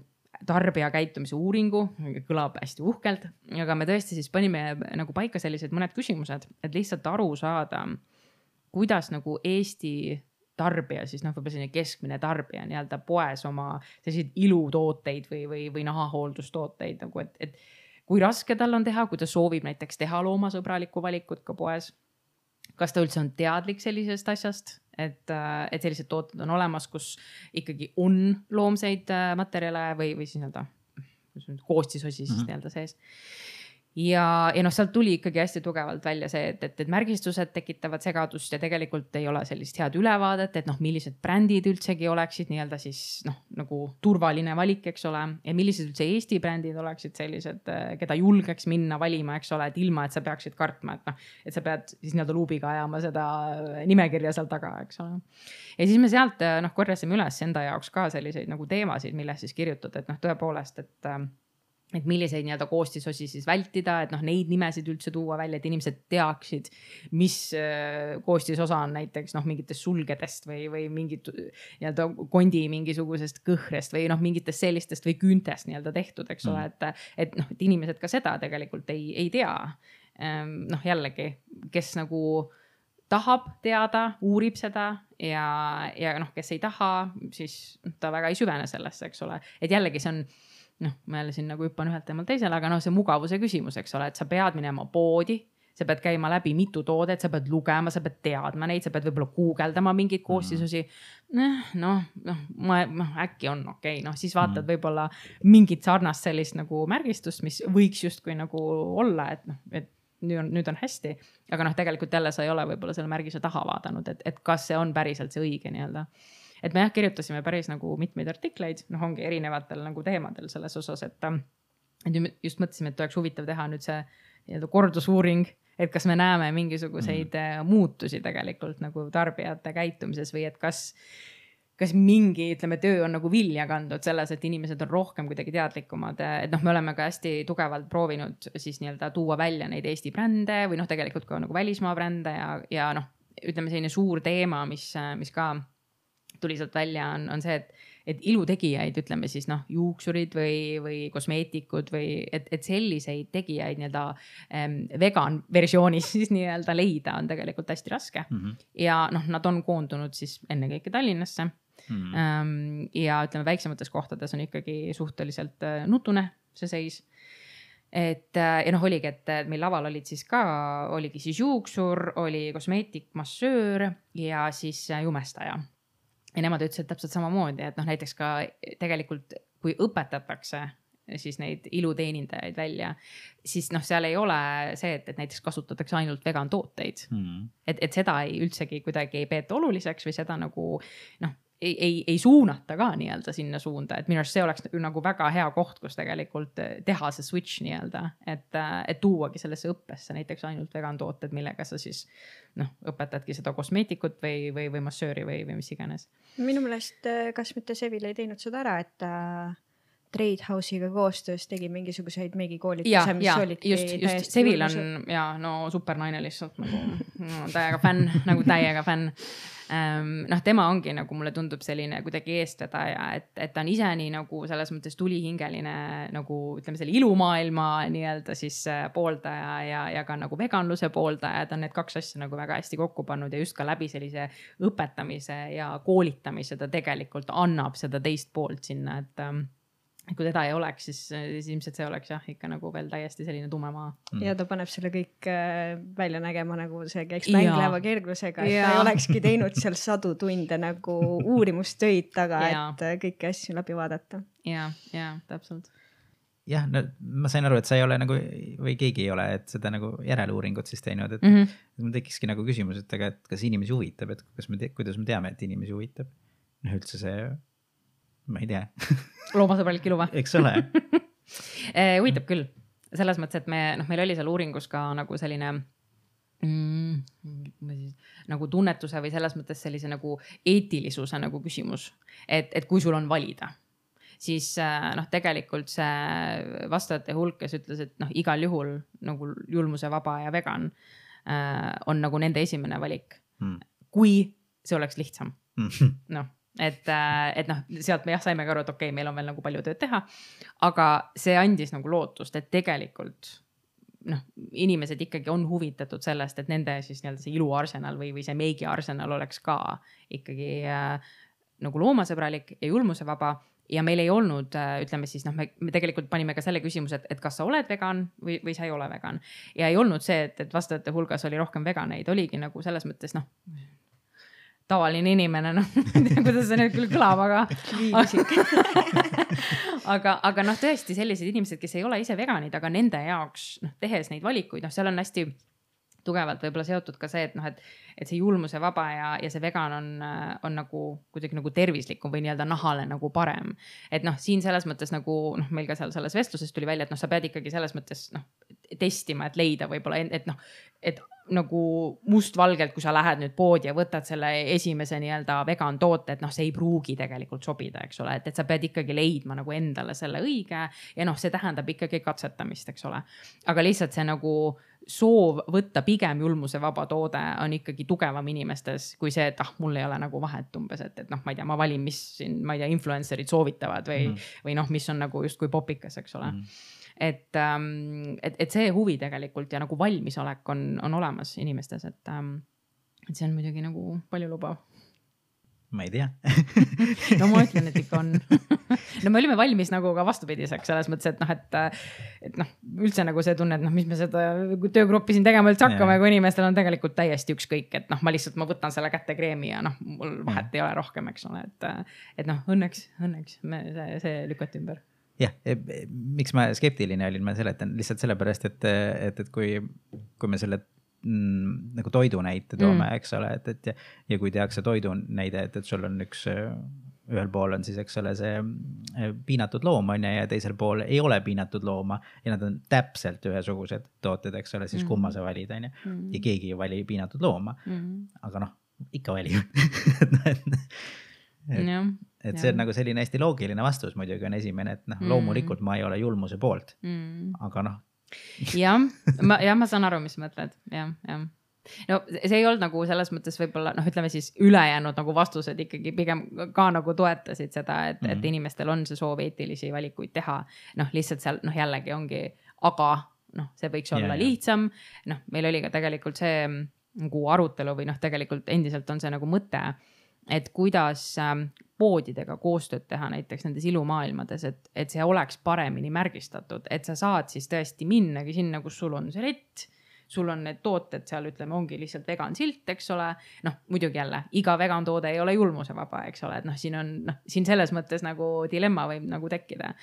tarbija käitumise uuringu, kõlab hästi uhkelt, aga me tõesti siis panime nagu paika sellised mõned küsimused, et lihtsalt aru saada, kuidas nagu Eesti tarbija, siis võib-olla selline keskmine tarbija nii-öelda poes oma selliseid ilutooteid või nahahooldustooteid, nagu et kui raske tal on teha, kui ta soovib näiteks teha loomasõbralikku valikut ka poes. Kas ta üldse on teadlik sellisest asjast, et sellised tooted on olemas, kus ikkagi on loomseid materjale või siis nii-öelda koostisosi siis nii-öelda sees. Ja sealt tuli ikkagi hästi tugevalt välja see, et märgistused tekitavad segadust ja tegelikult ei ole sellist head ülevaadet, et millised brändid üldsegi oleksid nii-öelda siis nagu turvaline valik, eks ole, ja millised üldse Eesti brändid oleksid sellised, keda julgeks minna valima, eks ole, et ilma, et sa peaksid kartma, et sa pead siis nii-öelda luubiga ajama seda nimekirja seal taga, eks ole. Ja siis me sealt korjasime üles enda jaoks ka selliseid nagu teemasid, milles siis kirjutada, et tõepoolest, et milliseid nii-öelda koostisosi siis vältida, et neid nimesid üldse tuua välja, et inimesed teaksid, mis koostisosa on näiteks mingitest sulgedest või mingit nii-öelda kondi mingisugusest kõhrest või mingitest sellistest või küüntest nii-öelda tehtud, eks ole, et inimesed ka seda tegelikult ei tea. Jällegi, kes nagu tahab teada, uurib seda ja kes ei taha, siis ta väga ei süvene sellesse, eks ole, et jällegi see on ma jälle siin nagu hüppan ühelt teemal teisele, aga see mugavuse küsimus, eks ole, et sa pead minema poodi, sa pead käima läbi mitu toodet, sa pead lugema, sa pead teadma neid, sa pead võib-olla guugeldama mingeid koostisosi. Äkki on okei, siis vaatad võib-olla mingit sarnast sellist nagu märgistust, mis võiks justkui nagu olla, et nüüd on hästi, aga tegelikult jälle sa ei ole võib-olla selle märgise taha vaadanud, et kas see on päriselt see õige nii-öelda. Et me kirjutasime päris nagu mitmeid artikleid, ongi erinevatel nagu teemadel selles osas, et just mõtlesime, et oleks huvitav teha nüüd see nii-öelda kordusuuring, et kas me näeme mingisuguseid muutusi tegelikult nagu tarbijate käitumises või et kas kas mingi, ütleme, töö on nagu vilja kandnud selles, et inimesed on rohkem kuidagi teadlikumad, et noh, me oleme ka hästi tugevalt proovinud siis nii-öelda tuua välja neid Eesti brände või noh, tegelikult ka nagu välismaa brände ja noh, ütleme selline suur teema, mis ka tuli sealt välja on see, et ilutegijaid, ütleme siis noh, juuksurid või kosmeetikud või et selliseid tegijaid nii-öelda vegan versioonis siis nii-öelda leida on tegelikult hästi raske. Ja noh, nad on koondunud siis ennekõike Tallinnasse. Ja ütleme, väiksemates kohtades on ikkagi suhteliselt nutune see seis. Ja noh, oligi, et meil laval oligi siis juuksur, oli kosmeetik, massöör ja siis jumestaja. Ja nemad ütlesid täpselt samamoodi, et noh, näiteks ka tegelikult, kui õpetatakse siis neid iluteenindajaid välja, siis noh, seal ei ole see, et näiteks kasutatakse ainult vegan tooteid. Et seda üldsegi kuidagi ei peeta oluliseks või seda nagu noh, ei suunata ka nii-öelda sinna suunda, et minu arust see oleks nagu väga hea koht, kus tegelikult teha see switch nii-öelda, et tuuagi sellesse õppesse näiteks ainult vegan tooted, millega sa siis noh, õpetadki seda kosmeetikut või massööri või mis iganes. Minu meelest, kas mitte Sevil ei teinud seda ära, et Trade House'iga koostöös tegi mingisuguseid meigikoolituse, mis olidki just Sevil on ja no supernaine lihtsalt nagu täiega fänn. Noh, tema ongi nagu mulle tundub selline kuidagi eestvedaja, et ta on ise nii nagu selles mõttes tulihingeline nagu ütleme selle ilumaailma nii-öelda siis pooldaja ja ka nagu veganluse pooldaja, ta on need kaks asja nagu väga hästi kokku pannud ja just ka läbi sellise õpetamise ja koolitamise ta tegelikult annab seda teist poolt sinna, et kui teda ei oleks, siis ilmselt see oleks jah, ikka nagu veel täiesti selline tume maa. Ja ta paneb selle kõik välja nägema nagu see käiks mängleva kerglusega, et ta ei olekski teinud seal sadu tunde nagu uurimustöid taga, et kõiki asju läbi vaadata. Ja, täpselt. Jah, no, ma sain aru, et sa ei ole nagu, või keegi ei ole, et seda nagu järeluuringut siis teinud, et mul tekkiski nagu küsimus, et kas inimesi huvitab, et kuidas me teame, et inimesi huvitab? No üldse see... Ma ei tea. Loomasõbralik ilu või? Eks ole. Huvitab küll. Selles mõttes, et meil oli seal uuringus ka nagu selline nagu tunnetuse või selles mõttes sellise nagu eetilisuse nagu küsimus. Et kui sul on valida, siis noh, tegelikult see vastajate hulk, kes ütles, et noh, igal juhul nagu julmuse vaba ja vegan on nagu nende esimene valik. Kui see oleks lihtsam. Noh. Et noh, sealt me saime ka aru, et okei, meil on veel nagu palju tööd teha, aga see andis nagu lootust, et tegelikult noh, inimesed ikkagi on huvitatud sellest, et nende siis nii-öelda see iluarsenal või see meigi arsenal oleks ka ikkagi nagu loomasõbralik ja julmuse vaba ja meil ei olnud, ütleme siis, noh, me tegelikult panime ka selle küsimuse, et kas sa oled vegan või sa ei ole vegan ja ei olnud see, et vastajate hulgas oli rohkem veganeid, oligi nagu selles mõttes, noh, tavaline inimene, noh, kuidas see nüüd küll kõlab, aga noh, tõesti sellised inimesed, kes ei ole ise veganid, aga nende jaoks, noh, tehes neid valikuid, noh, seal on hästi tugevalt võib-olla seotud ka see, et noh, et see julmuse vaba ja see vegan on nagu kuidagi nagu tervislikum või nii-öelda nahale nagu parem. Et noh, siin selles mõttes nagu, noh, meil ka seal selles vestluses tuli välja, et noh, sa pead ikkagi selles mõttes, noh, testima, et leida võib-olla, et noh, et nagu mustvalgelt, kui sa lähed nüüd poodi ja võtad selle esimese nii-öelda vegan toote, et noh, see ei pruugi tegelikult sobida, eks ole, et sa pead ikkagi leidma nagu endale selle õige ja noh, see tähendab ikkagi katsetamist, eks ole. Aga lihtsalt see nagu soov võtta pigem julmuse vaba toode on ikkagi tugevam inimestes kui see, et mul ei ole nagu vahet umbes, et noh, ma ei tea, ma valin, mis siin, ma ei tea, influencerid soovitavad või noh, mis on nagu justkui popikas, eks ole. Et see huvi tegelikult ja nagu valmisolek on olemas inimestes, et see on muidugi nagu palju lubav. Ma ei tea. No ma ütlen, et ikka on. No me olime valmis nagu ka vastupidiseks selles mõttes, et noh, üldse nagu see tunne, et noh, mis me seda töögruppi siin tegema üldse hakkame, kui inimestel on tegelikult täiesti ükskõik, et noh, ma võtan selle kätte kreemi ja noh, mul vahet ei ole rohkem, eks ole, et noh, õnneks see lükati ümber. Jah, miks ma skeptiline olin, ma seletan lihtsalt sellepärast, et kui me selle nagu toidu näite toome, eks ole, ja kui tehakse toidu näide, et sul on ühel pool on siis, eks ole, see piinatud loom on ja teisel pool ei ole piinatud looma ja nad on täpselt ühesugused tooted, eks ole, siis kumma sa valid, on ja keegi ei vali piinatud looma, aga noh, ikka valib. et see on nagu selline hästi loogiline vastus muidugi on esimene, et noh, loomulikult ma ei ole julmuse poolt, aga noh. ma saan aru, mis mõtled, jah. No see ei olnud nagu selles mõttes võib-olla, noh, ütleme siis ülejäänud nagu vastused ikkagi pigem ka nagu toetasid seda, et inimestel on see soov eetilisi valikuid teha. Noh, lihtsalt seal, noh, jällegi ongi, aga noh, see võiks olla lihtsam. Noh, meil oli ka tegelikult see nagu arutelu või noh, tegelikult endiselt on see nagu mõte, et kuidas poodidega koostööd teha näiteks nendes ilumaailmades, et see oleks paremini märgistatud, et sa saad siis tõesti minnagi sinna, kus sul on see lett, sul on need tooted seal, ütleme, ongi lihtsalt vegan silt, eks ole. Noh, muidugi jälle, iga vegan toode ei ole julmuse vaba, eks ole, et noh, siin on, noh, siin selles mõttes nagu dilemma võib nagu tekkida.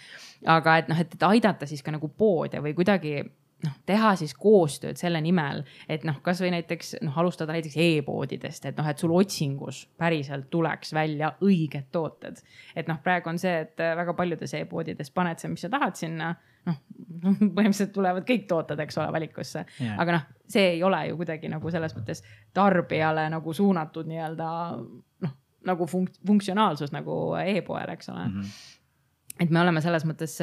Aga et noh, et aidata siis ka nagu poode või kuidagi noh, teha siis koostööd selle nimel, et noh, kas või näiteks noh, alustada näiteks e-poodidest, et noh, et sul otsingus päriselt tuleks välja õiged tooted. Et noh, praegu on see, et väga paljudes e-poodides paned see, mis sa tahad sinna, noh, põhimõtteliselt tulevad kõik tooted, eks ole, valikusse. Aga noh, see ei ole ju kuidagi nagu selles mõttes tarbijale nagu suunatud nii-öelda noh, nagu funktsionaalsus nagu e-poel, eks ole. Et me oleme selles mõttes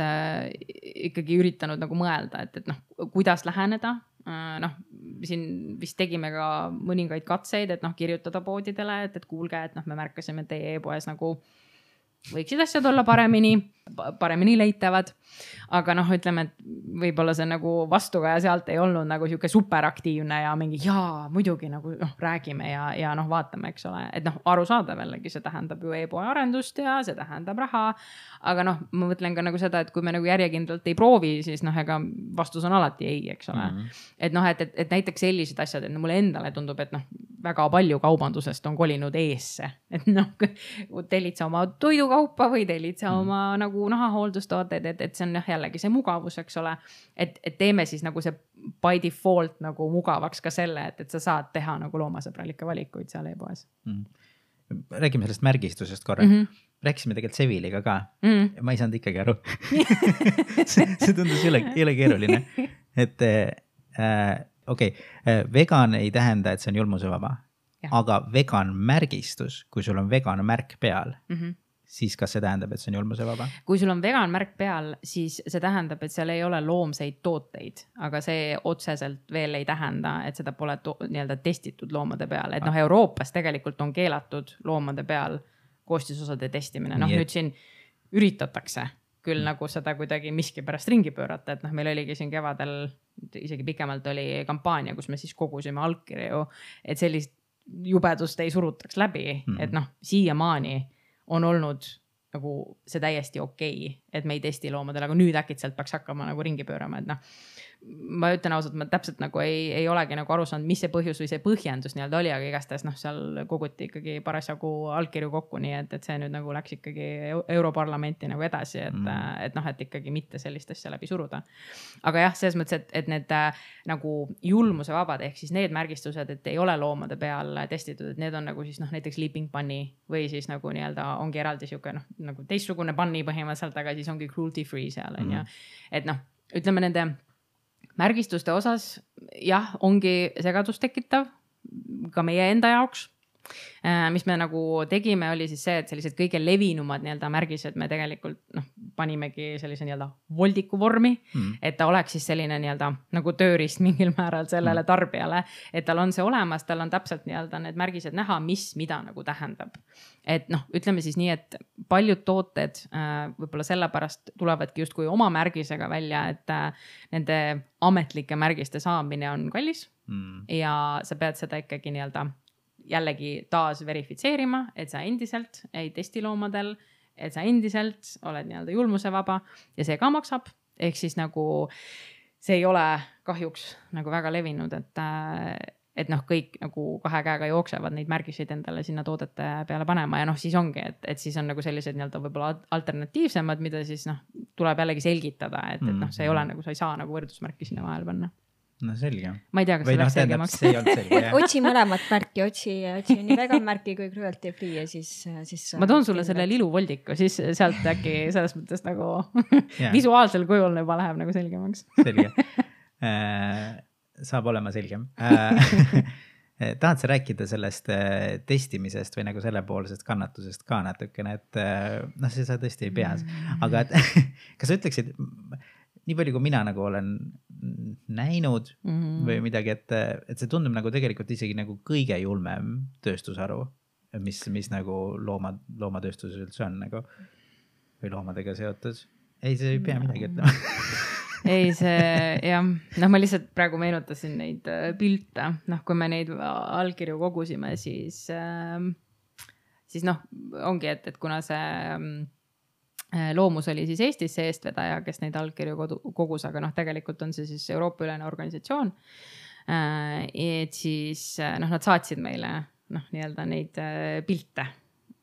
ikkagi üritanud nagu mõelda, et noh, kuidas läheneda. Noh, siin vist tegime ka mõningaid katseid, et noh, kirjutada poodidele, et kuulge, et noh, me märkasime teie e-poes nagu võiksid asjad olla paremini leitavad. Aga noh, ütleme, et võib-olla see nagu vastukaja sealt ei olnud nagu siuke superaktiivne ja mingi muidugi nagu noh, räägime ja noh, vaatame, eks ole. Et noh, arusaadav jällegi, see tähendab ju e-poe arendust ja see tähendab raha. Aga noh, ma mõtlen ka nagu seda, et kui me nagu järjekindlalt ei proovi, siis noh, ega vastus on alati ei, eks ole. Et noh, et näiteks sellised asjad, et mulle endale tundub, et noh, väga palju kaubandusest on kolinud eesse. Et noh, tellid sa oma toidukaupa või tellid sa oma nagu nahahooldustooted, et see on jällegi see mugavus, eks ole. Et teeme siis nagu see by default nagu mugavaks ka selle, et sa saad teha nagu loomasõbralikke valikuid seal e-poes. Räägime sellest märgistusest korra. Rääkisime tegelikult Seviliga ka. Ma ei saanud ikkagi aru. see tundus jõle keeruline. Et okei, vegan ei tähenda, et see on julmusevaba. Aga vegan märgistus, kui sul on vegan märk peal, siis kas see tähendab, et see on julmusevaba? Kui sul on vegan märk peal, siis see tähendab, et seal ei ole loomseid tooteid, aga see otseselt veel ei tähenda, et seda pole nii-öelda testitud loomade peal. Et noh, Euroopas tegelikult on keelatud loomade peal koostisosade testimine. Noh, nüüd siin üritatakse küll nagu seda kuidagi miski pärast ringi pöörata, et noh, meil oligi siin kevadel, isegi pikemalt oli kampaania, kus me siis kogusime allkirju, et sellist jubedust ei surutaks läbi, et noh, siiamaani on olnud nagu see täiesti okei, et me ei testi loomadele, aga nüüd äkitselt peaks hakkama nagu ringi pöörama, et noh, ma ütlen ausalt, ma täpselt nagu ei olegi nagu aru saanud, mis see põhjus või see põhjendus nii-öelda oli, aga igastahes noh, seal koguti ikkagi parasjagu allkirju kokku, nii et see nüüd nagu läks ikkagi Europarlamenti nagu edasi, et noh, et ikkagi mitte sellist asja läbi suruda. Aga jah, selles mõttes, et need nagu julmuse vabad, ehk siis need märgistused, et ei ole loomade peal testitud, et need on nagu siis noh, näiteks Leaping Bunny või siis nagu nii-öelda ongi eraldi siuke noh, nagu teistsugune bunny põhimõtteliselt, aga siis ongi cruelty free seal on ja et noh, ütleme nende märgistuste osas, jah, ongi segadust tekitav ka meie enda jaoks. Mis me nagu tegime, oli siis see, et sellised kõige levinumad nii-öelda märgised me tegelikult noh, panimegi sellise nii-öelda voldiku vormi, et ta oleks siis selline nii-öelda nagu tööriist mingil määral sellele tarbijale, et tal on see olemas, tal on täpselt nii-öelda need märgised näha, mis mida nagu tähendab. Et noh, ütleme siis nii, et paljud tooted võib-olla sellepärast tulevadki justkui oma märgisega välja, et nende ametlike märgiste saamine on kallis ja sa pead seda ikkagi nii-öelda jällegi taas verifitseerima, et sa endiselt ei testi loomadel, et sa endiselt oled nii-öelda julmusevaba ja see ka maksab. Ehk siis nagu see ei ole kahjuks nagu väga levinud, et noh, kõik nagu kahe käega jooksevad neid märgiseid endale sinna toodete peale panema ja noh, siis ongi, et siis on nagu sellised nii-öelda võib-olla alternatiivsemad, mida siis noh, tuleb jällegi selgitada, et noh, see ei ole nagu, sa ei saa nagu võrdusmärki sinna vahel panna. No selge. Ma ei tea, kas see läks selgemaks. Otsi mõlemat märki, otsi nii vegan märki kui cruelty free ja siis ma toon sulle selle liluvoldiku, siis sealt äkki selles mõttes nagu visuaalsel kujul juba läheb nagu selgemaks. Selge. Saab olema selgem. tahad sa rääkida sellest testimisest või nagu sellepoolsest kannatusest ka natukene, et noh, see sa tõesti ei pea, aga et, kas sa ütleksid, nii palju kui mina nagu olen näinud või midagi, et see tundub nagu tegelikult isegi nagu kõige julmem tööstusharu, mis nagu loomatööstuses üldse on nagu või loomadega seotud. Ei, see ei pea midagi ütlema. Ei, see jah, noh, ma lihtsalt praegu meenutasin neid pilte, noh, kui me neid allkirju kogusime, siis noh, ongi, et kuna see loomus oli siis Eestis see eestvedaja, kes neid allkirju kogus, aga noh, tegelikult on see siis Euroopa-ülene organisatsioon. Et siis noh, nad saatsid meile noh, nii-öelda neid pilte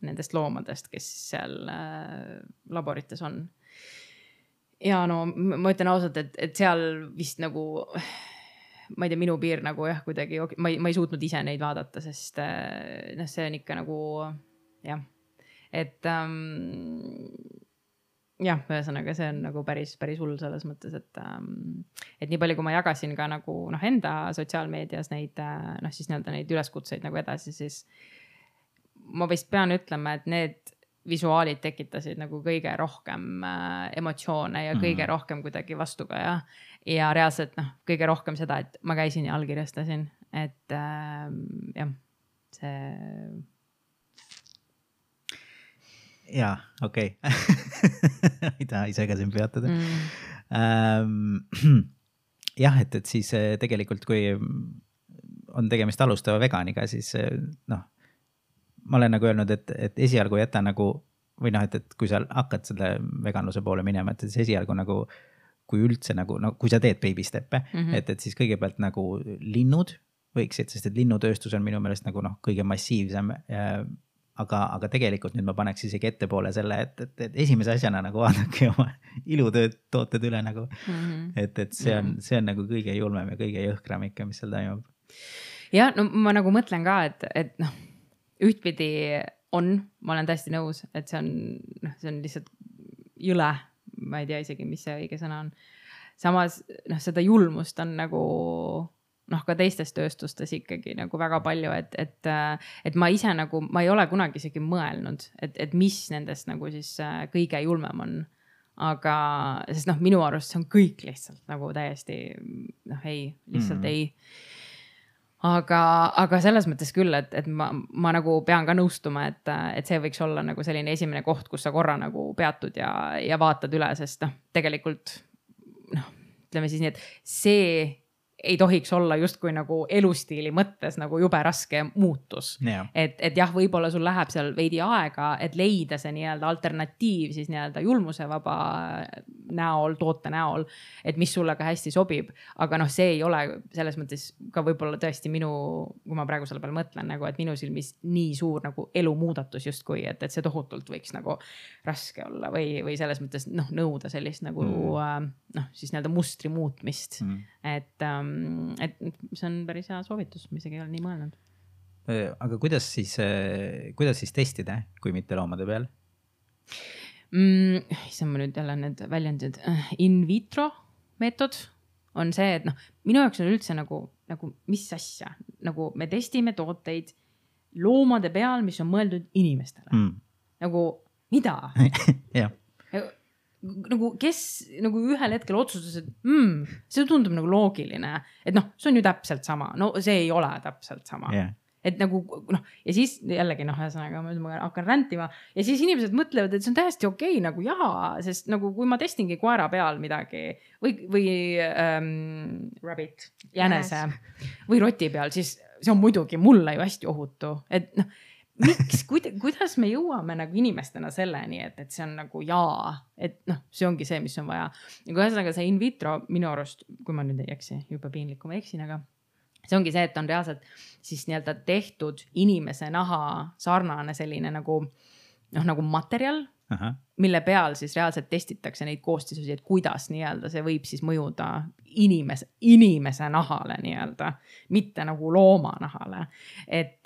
nendest loomadest, kes seal laborites on. Ja no ma ütlen ausalt, et seal vist nagu, ma ei tea, minu piir nagu jah, kuidagi, ma ei suutnud ise neid vaadata, sest noh, see on ikka nagu jah, et jah, ühesõnaga see on nagu päris hull selles mõttes, et nii palju, kui ma jagasin ka nagu noh, enda sotsiaalmeedias neid noh, siis nii-öelda neid üleskutseid nagu edasi, siis ma vist pean ütlema, et need visuaalid tekitasid nagu kõige rohkem emotsioone ja kõige rohkem kuidagi vastuga ja reaalselt noh, kõige rohkem seda, et ma käisin ja allkirjastasin, et jah, see. Jaa, okei. Ei taha ise ka siin peatada. Jah, et siis tegelikult, kui on tegemist alustava veganiga, siis noh, ma olen nagu öelnud, et esialgu jäta nagu, või noh, et kui sa hakkad selle veganluse poole minema, et siis esialgu nagu, kui üldse nagu, no kui sa teed baby step'e, et siis kõigepealt nagu linnud võiksid, sest et linnutööstus on minu meelest nagu noh, kõige massiivsem, aga tegelikult nüüd ma paneks isegi ettepoole selle, et esimese asjana nagu vaadake oma ilutööd tooted üle nagu, et see on nagu kõige julmem ja kõige jõhkram ikka, mis seal toimub. Ja no ma nagu mõtlen ka, et noh, ühtpidi ma olen täiesti nõus, et see on lihtsalt jõle, ma ei tea isegi, mis see õige sõna on. Samas, noh, seda julmust on nagu, noh, ka teistes tööstustes ikkagi nagu väga palju, et ma ise nagu, ma ei ole kunagi isegi mõelnud, et mis nendest nagu siis kõige julmem on. Aga, sest noh, minu arust see on kõik lihtsalt nagu täiesti, noh, lihtsalt ei. Aga selles mõttes küll, et ma nagu pean ka nõustuma, et see võiks olla nagu selline esimene koht, kus sa korra nagu peatud ja vaatad üle, sest noh, tegelikult noh, ütleme siis nii, et see ei tohiks olla justkui nagu elustiili mõttes nagu jube raske muutus. Et jah, võib-olla sul läheb seal veidi aega, et leida see nii-öelda alternatiiv siis nii-öelda julmuse vaba näol, toote näol, et mis sulle ka hästi sobib. Aga noh, see ei ole selles mõttes ka võib-olla tõesti minu, kui ma praegu selle peal mõtlen, nagu, et minu silmis nii suur nagu elumuudatus justkui, et see tohutult võiks nagu raske olla või selles mõttes noh, nõuda sellist nagu noh, siis nii-öelda mustri muutmist. Et see on päris hea soovitus, mis ei ole nii mõelnud. Aga kuidas siis testida, kui mitte loomade peal? See on nüüd jälle need väljendid. In vitro meetod on see, et noh, minu jaoks on üldse nagu mis asja, nagu me testime tooteid loomade peal, mis on mõeldud inimestele. Nagu mida? Jah. Nagu kes nagu ühel hetkel otsustas, et see tundub nagu loogiline, et noh, see on ju täpselt sama, no see ei ole täpselt sama. Et nagu noh, ja siis jällegi noh, ühesõnaga ma hakkan räntima ja siis inimesed mõtlevad, et see on täiesti okei, nagu jaa, sest nagu kui ma testingi koera peal midagi või rabbit, jänese või roti peal, siis see on muidugi mulle ju hästi ohutu, et noh, miks, kuidas me jõuame nagu inimestena selleni, et see on nagu jaa, et noh, see ongi see, mis on vaja. Ja kui ühesõnaga see in vitro minu arust, kui ma nüüd ei eksi, juba piinlik, kui ma eksin, aga see ongi see, et on reaalselt siis nii-öelda tehtud inimese naha sarnane selline nagu, noh, nagu materjal, mille peal siis reaalselt testitakse neid koostisusi, et kuidas nii-öelda see võib siis mõjuda inimese nahale nii-öelda, mitte nagu looma nahale. Et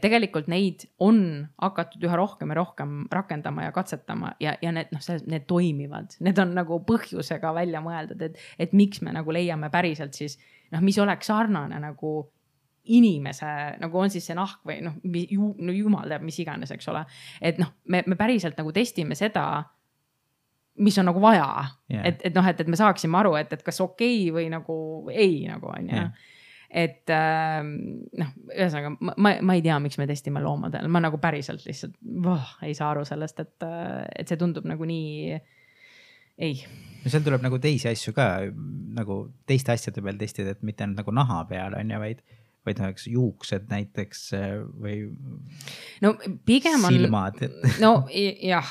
tegelikult neid on hakatud üha rohkem ja rohkem rakendama ja katsetama ja need, noh, need toimivad. Need on nagu põhjusega välja mõeldud, et miks me nagu leiame päriselt siis, noh, mis oleks sarnane nagu inimese, nagu on siis see nahk või noh, jumal teab, mis iganes, eks ole. Et noh, me päriselt nagu testime seda, mis on nagu vaja. Et noh, et me saaksime aru, et kas okei või nagu ei nagu on ja. Et noh, ühesõnaga, ma ei tea, miks me testime loomadel. Ma nagu päriselt lihtsalt ei saa aru sellest, et see tundub nagu nii ei. No seal tuleb nagu teisi asju ka, nagu teiste asjade peal testida, et mitte nagu naha peal on ja vaid näiteks juuksed näiteks või no pigem on silmad. No jah.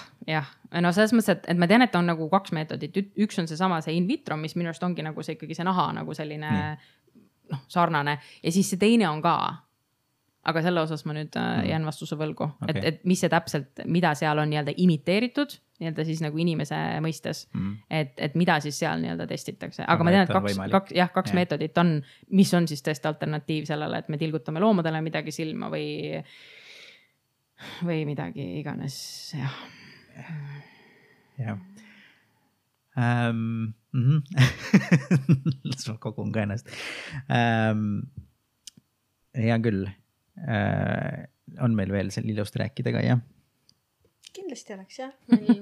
No selles mõttes, et ma tean, et on nagu 2 meetodit. Üks on seesama see in vitro, mis minu arust ongi nagu see ikkagi see naha nagu selline noh, sarnane ja siis see teine on ka. Aga selle osas ma nüüd jään vastuse võlgu, et mis see täpselt, mida seal on nii-öelda imiteeritud, nii-öelda siis nagu inimese mõistes, et mida siis seal nii-öelda testitakse. Aga ma tean, et 2 meetodit on, mis on siis tõesti alternatiiv sellele, et me tilgutame loomadele midagi silma või midagi iganes, jah. Jah. Las ma kogun ka ennast. Hea küll. On meil veel seal ilust rääkida ka, jah? Kindlasti oleks, jah.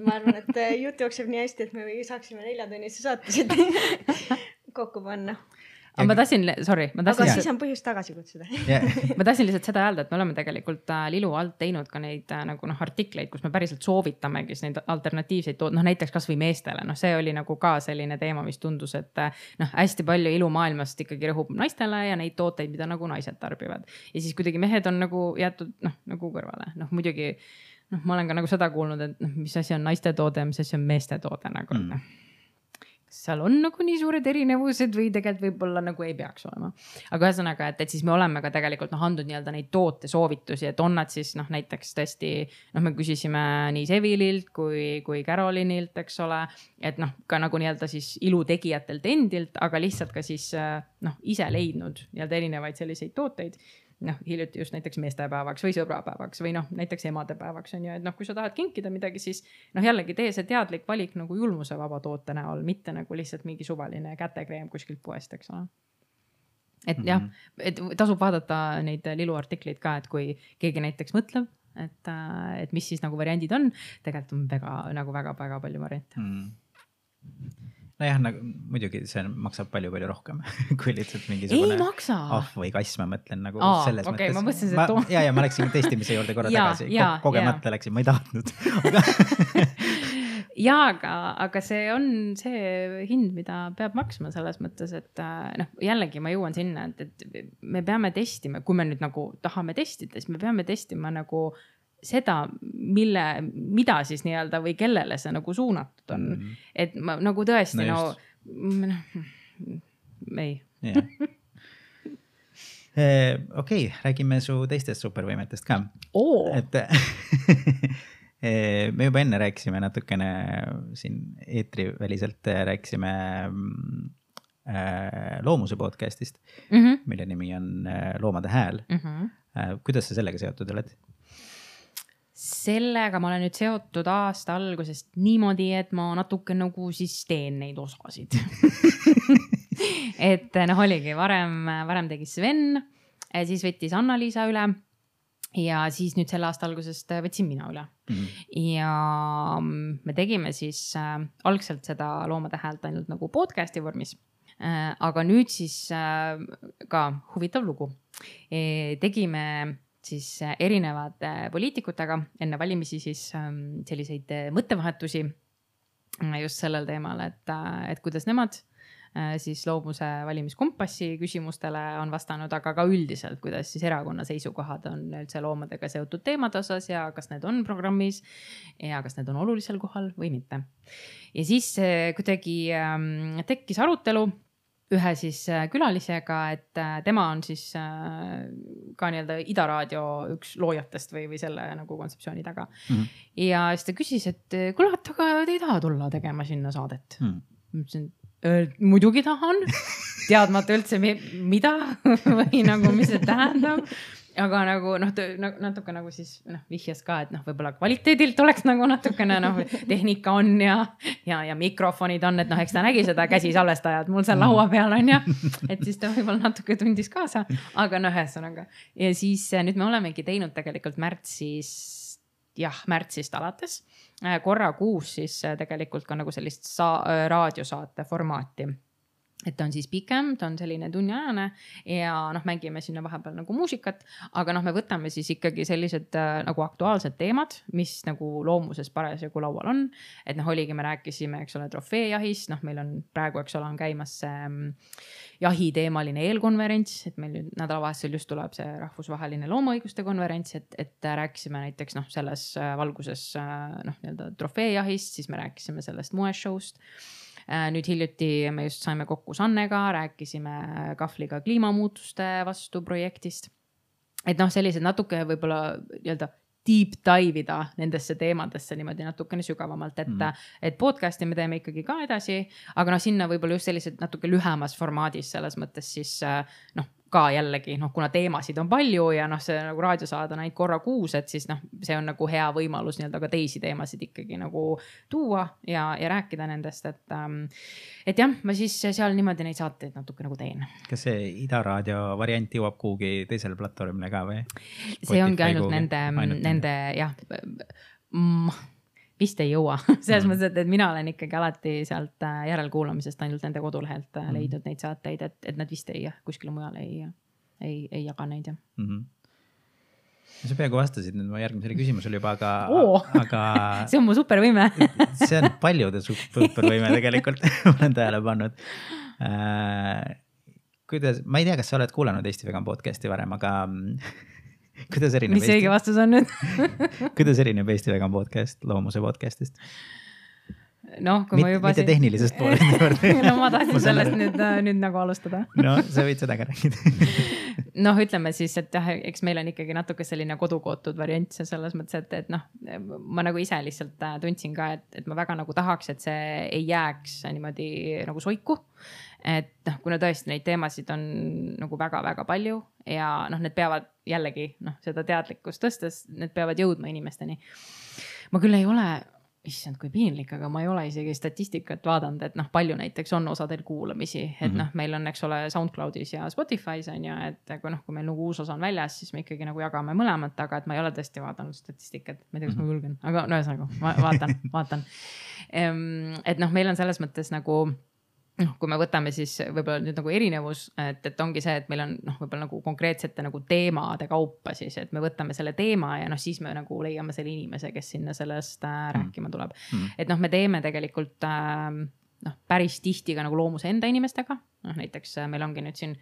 Ma arvan, et jutt jookseb nii hästi, et me saaksime 4-tunnise saatesid kokku panna. Aga ma tahtsin, aga siis on põhjust tagasi kutsuda. Ma tahtsin lihtsalt seda öelda, et me oleme tegelikult Lilu alt teinud ka neid nagu artikleid, kus me päriselt soovitamegi neid alternatiivseid näiteks kas või meestele. See oli nagu ka selline teema, mis tundus, et hästi palju ilumaailmast ikkagi rõhub naistele ja neid tooteid, mida nagu naised tarbivad. Ja siis kuidagi mehed on nagu jäetud nagu kõrvale. Muidugi ma olen ka nagu seda kuulnud, et mis asi on naiste toode, mis asi on meeste toode nagu. Seal on nagu nii suured erinevused või tegelikult võib-olla nagu ei peaks olema. Aga ühesõnaga, et siis me oleme ka tegelikult andnud nii-öelda neid toote soovitusi, et on nad siis näiteks tõesti, me küsisime nii Sevililt kui Carolinilt, eks ole, et ka nagu nii-öelda siis ilutegijatelt endilt, aga lihtsalt ka siis ise leidnud nii-öelda erinevaid selliseid tooteid. Hiljuti just näiteks meestepäevaks või sõbrapäevaks või näiteks emadepäevaks on ju, et kui sa tahad kinkida midagi, siis jällegi tee see teadlik valik nagu julmuse vaba toote näol, mitte nagu lihtsalt mingi suvaline kätekreem kuskilt poest, eks ole. Et jah, et tasub vaadata neid Lilu artikleid ka, et kui keegi näiteks mõtleb, et mis siis nagu variandid on, tegelikult on väga palju variante. Nojah, muidugi see maksab palju rohkem kui lihtsalt mingisugune ahv või kass, ma mõtlen nagu selles mõttes. Ma mõtlesin, et ja ma läksin testimise juurde korra tagasi. Kogemata läksin, ma ei tahtnud. Aga see on see hind, mida peab maksma selles mõttes, et jällegi ma jõuan sinna, et me peame testima, kui me nüüd nagu tahame testida, siis me peame testima nagu seda, mida siis nii-öelda või kellele see nagu suunatud on. Et ma nagu tõesti ei. Okei, räägime su teistest supervõimetest ka. Et me juba enne rääkisime natukene siin eetriväliselt rääkisime Loomuse podcastist, mille nimi on Loomade hääl. Kuidas sa sellega seotud oled? Sellega ma olen nüüd seotud aasta algusest niimoodi, et ma natuke nagu siis teen neid osasid. Et oligi, varem tegi Sven, siis võttis Anna-Liisa üle ja siis nüüd selle aasta algusest võtsin mina üle. Ja me tegime siis algselt seda Loomade häält ainult nagu podcasti vormis. Aga nüüd siis ka huvitav lugu. Tegime siis erinevate poliitikutega enne valimisi siis selliseid mõttevahetusi just sellel teemal, et kuidas nemad siis Loomuse valimiskompassi küsimustele on vastanud, aga ka üldiselt, kuidas siis erakonna seisukohad on üldse loomadega seotud teemade osas ja kas need on programmis ja kas need on olulisel kohal või mitte. Ja siis kuidagi tekkis arutelu ühe siis külalisega, et tema on siis ka nii-öelda Ida Raadio üks loojatest või selle nagu kontseptsiooni taga. Ja siis ta küsis, et kuule, aga te ei taha tulla tegema sinna saadet. Muidugi tahan, teadmata üldse mida või nagu mis see tähendab. aga nagu noh, natuke nagu siis vihjas ka, et võib-olla kvaliteedilt oleks nagu natukene tehnika on ja mikrofonid on, et eks ta nägi seda käsisalvestajad mul seal laua peal on ja et siis ta võib-olla natuke tundis kaasa, aga ühesõnaga. Ja siis nüüd me olemegi teinud tegelikult märtsist alates korra kuus siis tegelikult ka nagu sellist raadiosaate formaati. Et ta on siis pikem, ta on selline tunniajane ja mängime sinna vahepeal nagu muusikat, aga me võtame siis ikkagi sellised nagu aktuaalsed teemad, mis nagu loomuses parasjagu laual on. Et oligi, me rääkisime, eks ole, trofeejahist, meil on praegu, eks ole, on käimas jahiteemaline eelkonverents, et meil nüüd nädalavahetusel just tuleb see rahvusvaheline loomaõiguste konverents, et rääkisime näiteks selles valguses nii-öelda trofeejahist, siis me rääkisime sellest moeshow'st. Nüüd hiljuti me just saime kokku Sannega, rääkisime Kahvliga kliimamuutuste vastu projektist. Et sellised natuke võib-olla nii-öelda deep dive ida nendesse teemadesse niimoodi natukene sügavamalt, et podcasti me teeme ikkagi ka edasi, aga sinna võib-olla just sellised natuke lühemas formaadis selles mõttes siis ka jällegi, kuna teemasid on palju ja see nagu raadiosaade on ainult korra kuus, et siis see on nagu hea võimalus nii-öelda ka teisi teemasid ikkagi nagu tuua ja rääkida nendest, et jah, ma siis seal niimoodi neid saateid natuke nagu teen. Kas see Ida Raadio variant jõuab kuhugi teisele platvormile ka või? See ongi ainult nende jah, vist ei jõua. Selles mõttes, et mina olen ikkagi alati sealt järelkuulamisest ainult nende kodulehelt leidnud neid saateid, et nad vist kuskile mujal ei jaga neid. Sa peaaegu vastasid nüüd ma järgmisele küsimusele juba, aga see on mu supervõime. See on paljude supervõime tegelikult, olen tähele pannud. Ma ei tea, kas sa oled kuulanud Eesti Vegan podcasti varem, aga kuidas erineb mis õige vastus on nüüd? Kuidas erineb Eesti Vegan podcast loomuse podcastist? Kui ma juba mitte tehnilisest poolest. Ma tahtsin sellest nüüd nagu alustada. Sa võid seda ka rääkida. Ütleme siis, et eks meil on ikkagi natuke selline kodukootud variant selles mõttes, et ma nagu ise lihtsalt tundsin ka, et ma väga nagu tahaks, et see ei jääks niimoodi nagu soiku. Et kuna tõesti neid teemasid on nagu väga-väga palju ja need peavad jällegi seda teadlikkust tõstes, need peavad jõudma inimesteni. Ma küll ei ole, issand kui piinlik, aga ma ei ole isegi statistikat vaadanud, et palju näiteks on osadel kuulamisi, et meil on, eks ole, SoundCloudis ja Spotify's on ja, et kui meil nagu uus osa on väljas, siis me ikkagi nagu jagame mõlemat, aga et ma ei ole tõesti vaadanud statistikat, ma ei tea, kas ma julgen, aga ühesõnaga, vaatan. Et meil on selles mõttes nagu kui me võtame siis võib-olla nüüd nagu erinevus, et ongi see, et meil on võib-olla nagu konkreetsete nagu teemade kaupa siis, et me võtame selle teema ja siis me nagu leiame selle inimese, kes sinna sellest rääkima tuleb. Et me teeme tegelikult päris tihti ka nagu loomuse enda inimestega. Näiteks meil ongi nüüd siin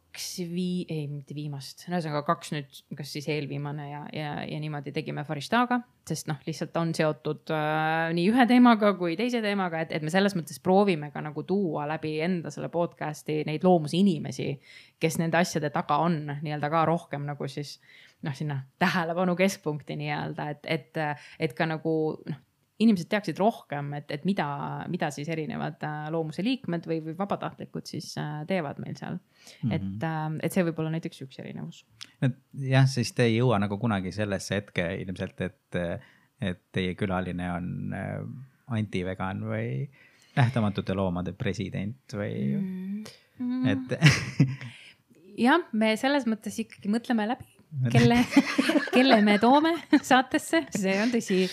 mitte viimast, kaks nüüd, kas siis eelviimane ja niimoodi tegime Farishtaga, sest lihtsalt on seotud nii ühe teemaga kui teise teemaga, et me selles mõttes proovime ka nagu tuua läbi enda selle podcasti neid loomuse inimesi, kes nende asjade taga on nii-öelda ka rohkem nagu siis sinna tähelepanu keskpunkti nii-öelda, et ka nagu inimesed teaksid rohkem, et mida siis erinevad loomuse liikmed või vabatahtlikud siis teevad meil seal. Et see võib olla näiteks üks erinevus. Jah, siis te ei jõua nagu kunagi sellesse hetke ilmselt, et teie külaline on anti-vegan või nähtamatute loomade president või jah, me selles mõttes ikkagi mõtleme läbi. Kelle me toome saatesse, see on tõsi,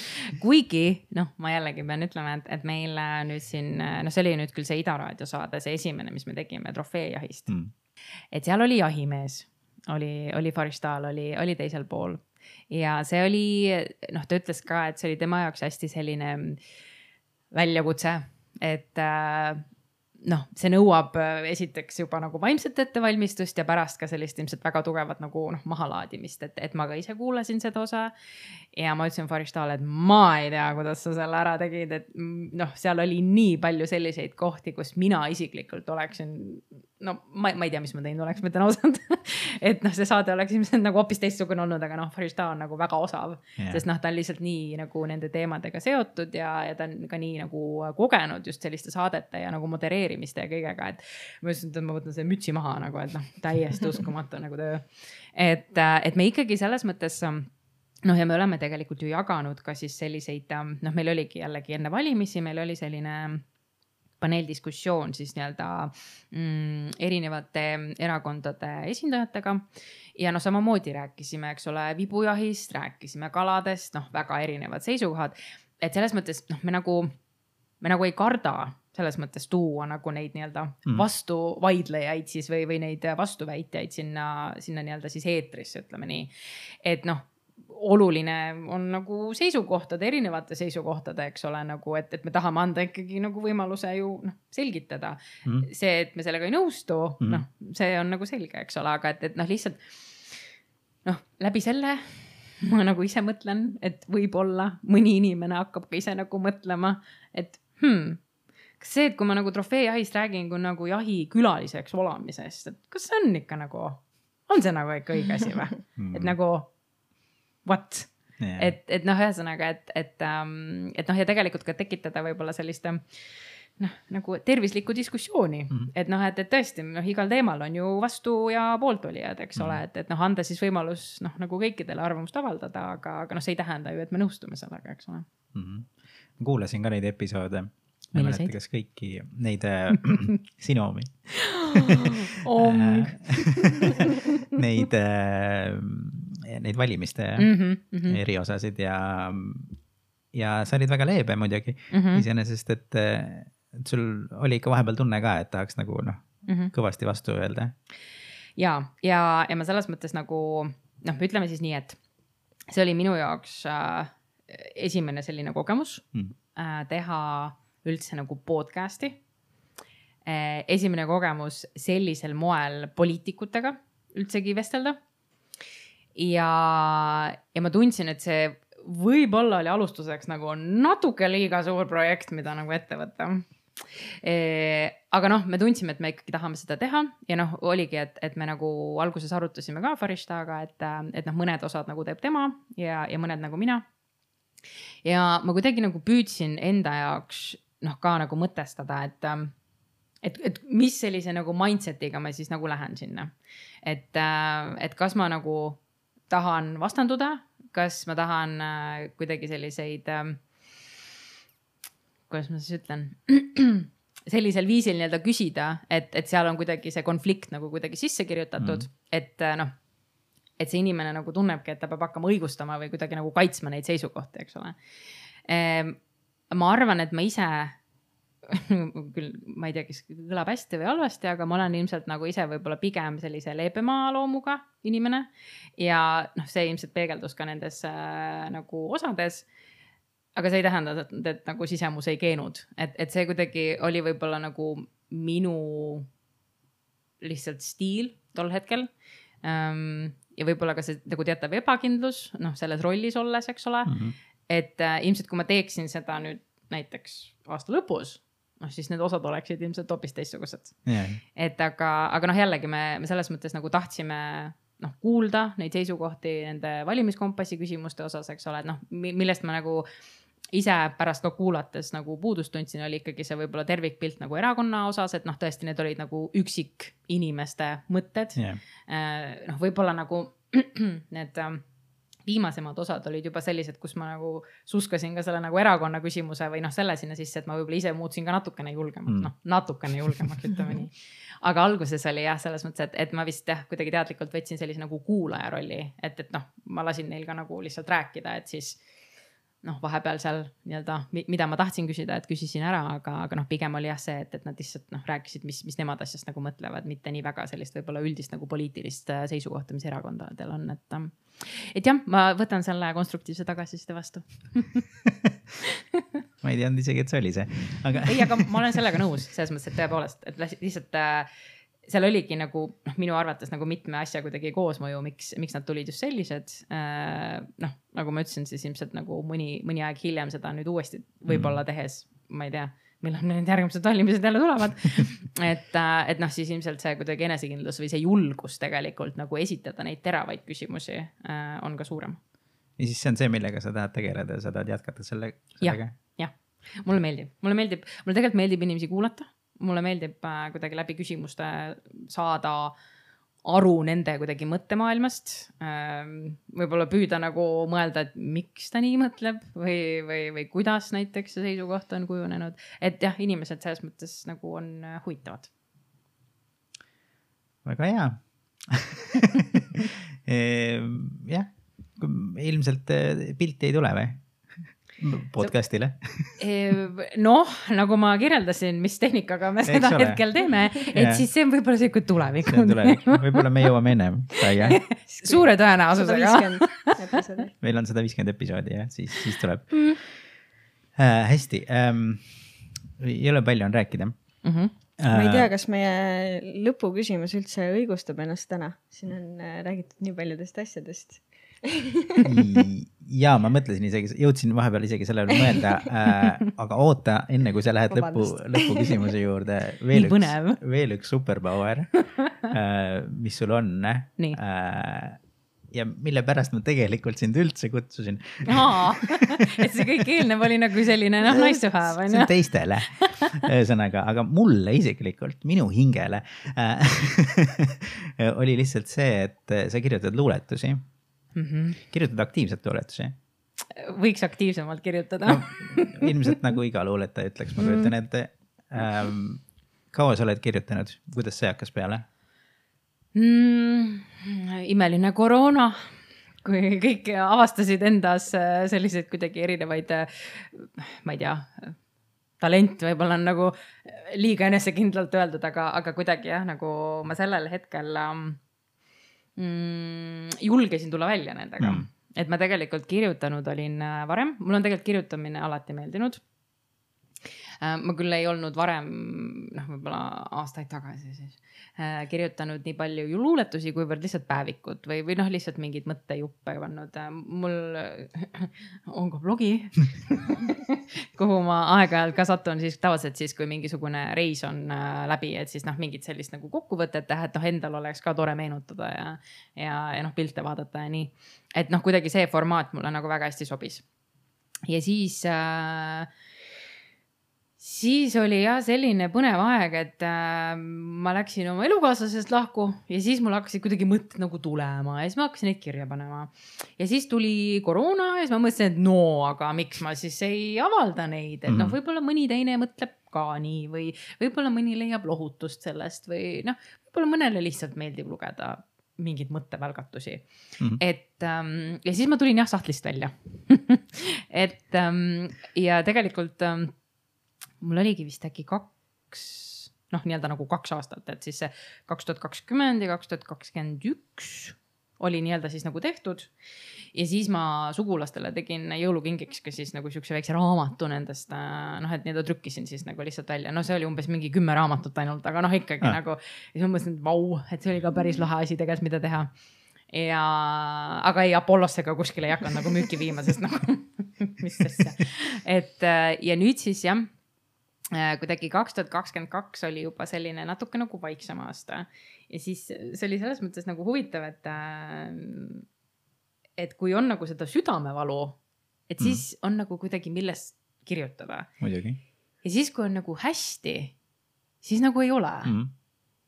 kuigi ma jällegi pean ütlema, et meil nüüd siin, see oli nüüd küll see Ida Raadio saade, see esimene, mis me tegime trofeejahist, et seal oli jahimees, oli Farishtal, oli teisel pool ja see oli, ta ütles ka, et see oli tema jaoks hästi selline väljakutse, et see nõuab esiteks juba nagu vaimset ettevalmistust ja pärast ka sellist ilmselt väga tugevat nagu mahalaadimist, et ma ka ise kuulasin seda osa ja ma ütlesin Farishtale, et ma ei tea, kuidas sa selle ära tegid, et seal oli nii palju selliseid kohti, kus mina isiklikult oleksin no ma ei tea, mis ma teinud oleks, ma ütlen ausalt. Et noh, see saade oleks ilmselt nagu hoopis teistsugune olnud, aga noh, Farishta on nagu väga osav, sest noh, ta on lihtsalt nii nagu nende teemadega seotud ja ta on ka nii nagu kogenud just selliste saadete ja nagu modereerimiste ja kõigega, et ma ütlesin, et ma võtan selle mütsi maha nagu, et noh, täiesti uskumatu nagu töö. Et me ikkagi selles mõttes noh, ja me oleme tegelikult ju jaganud ka siis selliseid, noh, meil oligi jällegi enne valimisi, meil oli selline paneeldiskussioon siis nii-öelda erinevate erakondade esindajatega ja noh, samamoodi rääkisime, eks ole, vibujahist, rääkisime kaladest, noh, väga erinevad seisukohad, et selles mõttes noh, me nagu ei karda selles mõttes tuua nagu neid nii-öelda vastuvaidlejaid siis või neid vastuväitjaid sinna nii-öelda siis eetrisse, ütleme nii, et noh, oluline on nagu erinevate seisukohtade, eks ole, nagu, et me tahame anda ikkagi nagu võimaluse ju selgitada. See, et me sellega ei nõustu, noh, see on nagu selge, eks ole, aga et noh, lihtsalt noh, läbi selle ma nagu ise mõtlen, et võib-olla mõni inimene hakkab ka ise nagu mõtlema, et kas see, et kui ma nagu trofeejahist räägin kui nagu jahikülaliseks olamisest, et kas see on ikka nagu, on see nagu ikka õige asi või? Et nagu what? Yeah. Et noh, ühesõnaga, et noh, ja tegelikult ka tekitada võib-olla sellist noh, nagu tervislikku diskussiooni, et noh, et tõesti, noh, igal teemal on ju vastu ja pooltolijad, eks ole, et noh, anda siis võimalus noh, nagu kõikidele arvamust avaldada, aga noh, see ei tähenda ju, et me nõustume sellega, eks ole. Kuulasin ka neid episoode. Ma ei mäleta, kas kõiki neid sinu omi. Neid valimiste eriosasid ja sa olid väga leebe muidugi iseenesest, et sul oli ikka vahepeal tunne ka, et tahaks nagu noh, kõvasti vastu öelda. Ja ma selles mõttes nagu noh, ütleme siis nii, et see oli minu jaoks esimene selline kogemus teha üldse nagu podcasti. Esimene kogemus sellisel moel poliitikutega üldsegi vestelda. Ja ma tundsin, et see võib-olla oli alustuseks nagu natuke liiga suur projekt, mida nagu ette võtta. Aga noh, me tundsime, et me ikkagi tahame seda teha ja noh, oligi, et me nagu alguses arutasime ka Farishtaga, et noh, mõned osad nagu teeb tema ja mõned nagu mina. Ja ma kuidagi nagu püüdsin enda jaoks noh, ka nagu mõtestada, et mis sellise nagu mindsetiga ma siis nagu lähen sinna. Et kas ma nagu tahan vastanduda, kas ma tahan kuidagi selliseid, kuidas ma siis ütlen, sellisel viisil nii-öelda küsida, et seal on kuidagi see konflikt nagu kuidagi sisse kirjutatud, et noh, et see inimene nagu tunnebki, et ta peab hakkama õigustama või kuidagi nagu kaitsma neid seisukohti, eks ole. Ma arvan, et ma ise küll ma ei tea, kes kõlab hästi või halvasti, aga ma olen ilmselt nagu ise võib-olla pigem sellise leebema loomuga inimene ja noh, see ilmselt peegeldus ka nendes nagu osades, aga see ei tähenda, et nagu sisemus ei keenud, et see kuidagi oli võib-olla nagu minu lihtsalt stiil tol hetkel ja võib-olla ka see nagu teatav ebakindlus, noh, selles rollis olles, eks ole, et ilmselt kui ma teeksin seda nüüd näiteks aasta lõpus, noh, siis need osad oleksid ilmselt hoopis teistsugused. Et aga noh, jällegi me selles mõttes nagu tahtsime noh, kuulda neid seisukohti nende valimiskompassi küsimuste osas, eks ole, et noh, millest ma nagu ise pärast ka kuulates nagu puudust tundsin, oli ikkagi see võib-olla tervikpilt nagu erakonna osas, et noh, tõesti need olid nagu üksik inimeste mõtted. Noh, võib-olla nagu need viimasemad osad olid juba sellised, kus ma nagu suskasin ka selle nagu erakonna küsimuse või noh, selle sinna sisse, et ma võib-olla ise muutsin ka natukene julgemaks, noh, natukene julgemaks, ütleme nii. Aga alguses oli jah, selles mõttes, et ma vist kuidagi teadlikult võtsin sellise nagu kuulaja rolli, et noh, ma lasin neil ka nagu lihtsalt rääkida, et siis noh, vahepeal seal nii-öelda, mida ma tahtsin küsida, et küsisin ära, aga noh, pigem oli jah see, et nad lihtsalt noh, rääkisid, mis nemad asjast nagu mõtlevad, mitte nii väga sellist võib-olla üldist nagu poliitilist seisukohta, mis erakondadel on, et jah, ma võtan selle konstruktiivse tagasiside vastu. Ma ei teadnud isegi, et see oli see. Ei, aga ma olen sellega nõus, selles mõttes, et tõepoolest, et lihtsalt seal oligi nagu minu arvates nagu mitme asja kuidagi koosmõju, miks nad tulid just sellised. Noh, nagu ma ütlesin, siis ilmselt nagu mõni aeg hiljem seda nüüd uuesti võib-olla tehes, ma ei tea, millal need järgmised valimised jälle tulevad. et noh, siis ilmselt see kuidagi enesekindlus või see julgus tegelikult nagu esitada neid teravaid küsimusi on ka suurem. Ja siis see on see, millega sa tahad tegeleda ja sa tahad jätkata sellega? Jah. Mulle tegelikult meeldib inimesi kuulata. Mulle meeldib kuidagi läbi küsimuste saada aru nende kuidagi mõttemaailmast. Võib-olla püüda nagu mõelda, et miks ta nii mõtleb või kuidas näiteks see seisukoht on kujunenud. Et jah, inimesed selles mõttes nagu on huvitavad. Väga hea. Jah, ilmselt pilti ei tule või? Podcastile. Noh, nagu ma kirjeldasin, mis tehnikaga me seda hetkel teeme, et siis see on võib-olla see, kui tulevik. Võib-olla me jõuame ennem. Suure tõenäosusega. Meil on 150 episoodi ja siis tuleb. Hästi. Ei ole palju on rääkida. Ma ei tea, kas meie lõpuküsimus üldse õigustab ennast täna. Siin on räägitud nii paljudest asjadest. Ja ma mõtlesin isegi, jõudsin vahepeal isegi selle mõelda, aga oota, enne kui sa lähed lõpu küsimuse juurde, veel üks superpower, mis sul on, ja mille pärast ma tegelikult sind üldse kutsusin. Et see kõik eelnev oli nagu selline nice to have. See on teistele sõnaga, aga mulle isiklikult, minu hingele oli lihtsalt see, et sa kirjutad luuletusi. Kirjutad aktiivselt luuletusi? Võiks aktiivsemalt kirjutada. Ilmselt nagu iga luuletaja ütleks, ma kujutan ette. Kaua sa oled kirjutanud? Kuidas see hakkas peale? Imeline koroona, kui kõik avastasid endas selliseid kuidagi erinevaid, ma ei tea, talent võib-olla on nagu liiga enesekindlalt öeldud, aga kuidagi jah, nagu ma sellel hetkel julgesin tulla välja nendega. Et ma tegelikult kirjutanud olin varem. Mul on tegelikult kirjutamine alati meeldinud. Ma küll ei olnud varem, võib-olla aastaid tagasi siis, kirjutanud nii palju luuletusi, kuivõrd lihtsalt päevikud või lihtsalt mingid mõttejuppe pannud. Mul on ka blogi, kuhu ma aeg-ajalt ka satun siis tavaliselt siis, kui mingisugune reis on läbi, et siis mingid sellist nagu kokkuvõtet teha, et endal oleks ka tore meenutada ja pilte vaadata ja nii. Et kuidagi see formaat mulle nagu väga hästi sobis. Ja siis oli jah selline põnev aeg, et ma läksin oma elukaaslasest lahku ja siis mul hakkasid kuidagi mõtted nagu tulema ja siis ma hakkasin neid kirja panema. Ja siis tuli koroona ja siis ma mõtlesin, et aga miks ma siis ei avalda neid, et võib-olla mõni teine mõtleb ka nii või võib-olla mõni leiab lohutust sellest või võib-olla mõnele lihtsalt meeldib lugeda mingid mõttevälgatusi. Ja siis ma tulin jah sahtlist välja. Ja tegelikult mul oligi vist äkki 2 aastat, et siis see 2020 ja 2021 oli nii-öelda siis nagu tehtud. Ja siis ma sugulastele tegin jõulukingiks ka siis nagu siukse väikse raamatu nendest, et nii-öelda trükkisin siis nagu lihtsalt välja. See oli umbes mingi 10 raamatut ainult, aga ikkagi nagu, ja siis ma mõtlesin, et et see oli ka päris lahe asi tegelikult, mida teha. Aga ei Apollosse ka kuskile ei hakanud nagu müüki viima, sest nagu, mis asja. Ja nüüd siis jah, kuidagi 2022 oli juba selline natuke nagu vaiksem aasta ja siis see oli selles mõttes nagu huvitav, et kui on nagu seda südamevalu, et siis on nagu kuidagi millest kirjutada. Muidugi. Ja siis kui on nagu hästi, siis nagu ei ole.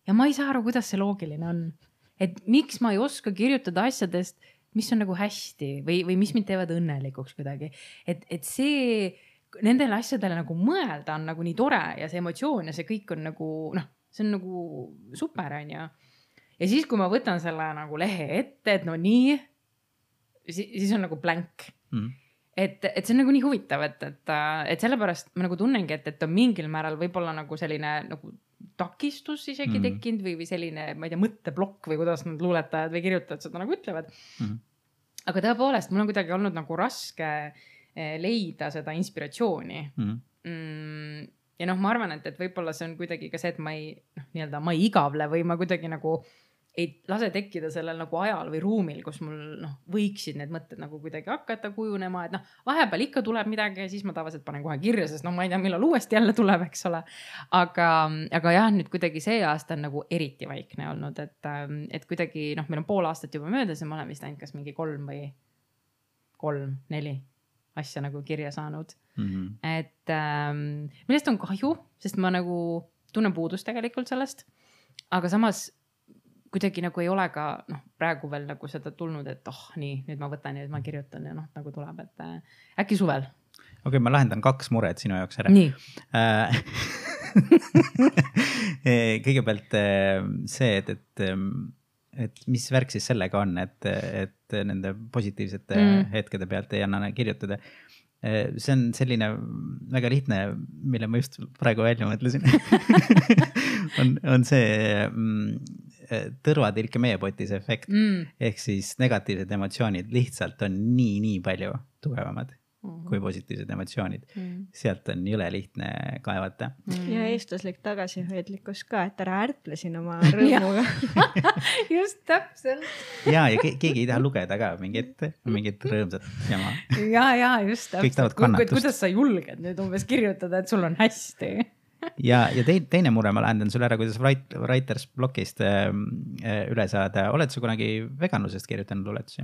Ja ma ei saa aru, kuidas see loogiline on. Et miks ma ei oska kirjutada asjadest, mis on nagu hästi või mis mind teevad õnnelikuks kuidagi. Et see nendele asjadele nagu mõelda on nagu nii tore ja see emotsioon ja see kõik on nagu, see on nagu super, on ju. Ja siis, kui ma võtan selle nagu lehe ette, et nii, siis on nagu blank. Et see on nagu nii huvitav, et sellepärast ma nagu tunnengi, et on mingil määral võib-olla nagu selline nagu takistus isegi tekkinud või selline, ma ei tea, mõtteblokk või kuidas nad luuletajad või kirjutajad seda nagu ütlevad. Aga tõepoolest, mul on kuidagi olnud nagu raske leida seda inspiratsiooni. Ja ma arvan, et võib-olla see on kuidagi ka see, et ma ei igavle või ma kuidagi nagu ei lase tekkida sellel nagu ajal või ruumil, kus mul võiksid need mõtted nagu kuidagi hakata kujunema, et vahepeal ikka tuleb midagi ja siis ma tavaliselt panen kohe kirja, sest ma ei tea, millal uuesti jälle tuleb, eks ole. Aga jah, nüüd kuidagi see aasta on nagu eriti vaikne olnud, et kuidagi meil on pool aastat juba möödas ja ma olen vist ainult kas mingi 3-4 asja nagu kirja saanud. Et millest on kahju, sest ma nagu tunnen puudust tegelikult sellest, aga samas kuidagi nagu ei ole ka praegu veel nagu seda tulnud, et nii, nüüd ma võtan ja nüüd ma kirjutan ja nagu tuleb, et äkki suvel. Okei, ma lahendan 2 mured sinu jaoks ära. Nii. Kõigepealt see, et mis värk siis sellega on, et nende positiivsete hetkede pealt ei anna kirjutada. See on selline väga lihtne, mille ma just praegu välja mõtlesin. on see tõrvatilke meepotis efekt. Ehk siis negatiivsed emotsioonid lihtsalt on nii palju tugevamad kui positiivsed emotsioonid. Sealt on jõle lihtne kaevata. Ja eestlaslik tagasihoidlikkus ka, et ära ärple siin oma rõõmuga. Just täpselt. Ja keegi ei taha lugeda ka mingit rõõmsat jama. Ja just täpselt. Kõik tahavad kannatust. Kuidas sa julged nüüd umbes kirjutada, et sul on hästi? Ja teine mure ma lähendan sulle ära, kuidas Writers Blockist üle saada. Oled sa kunagi veganlusest kirjutanud luuletusi?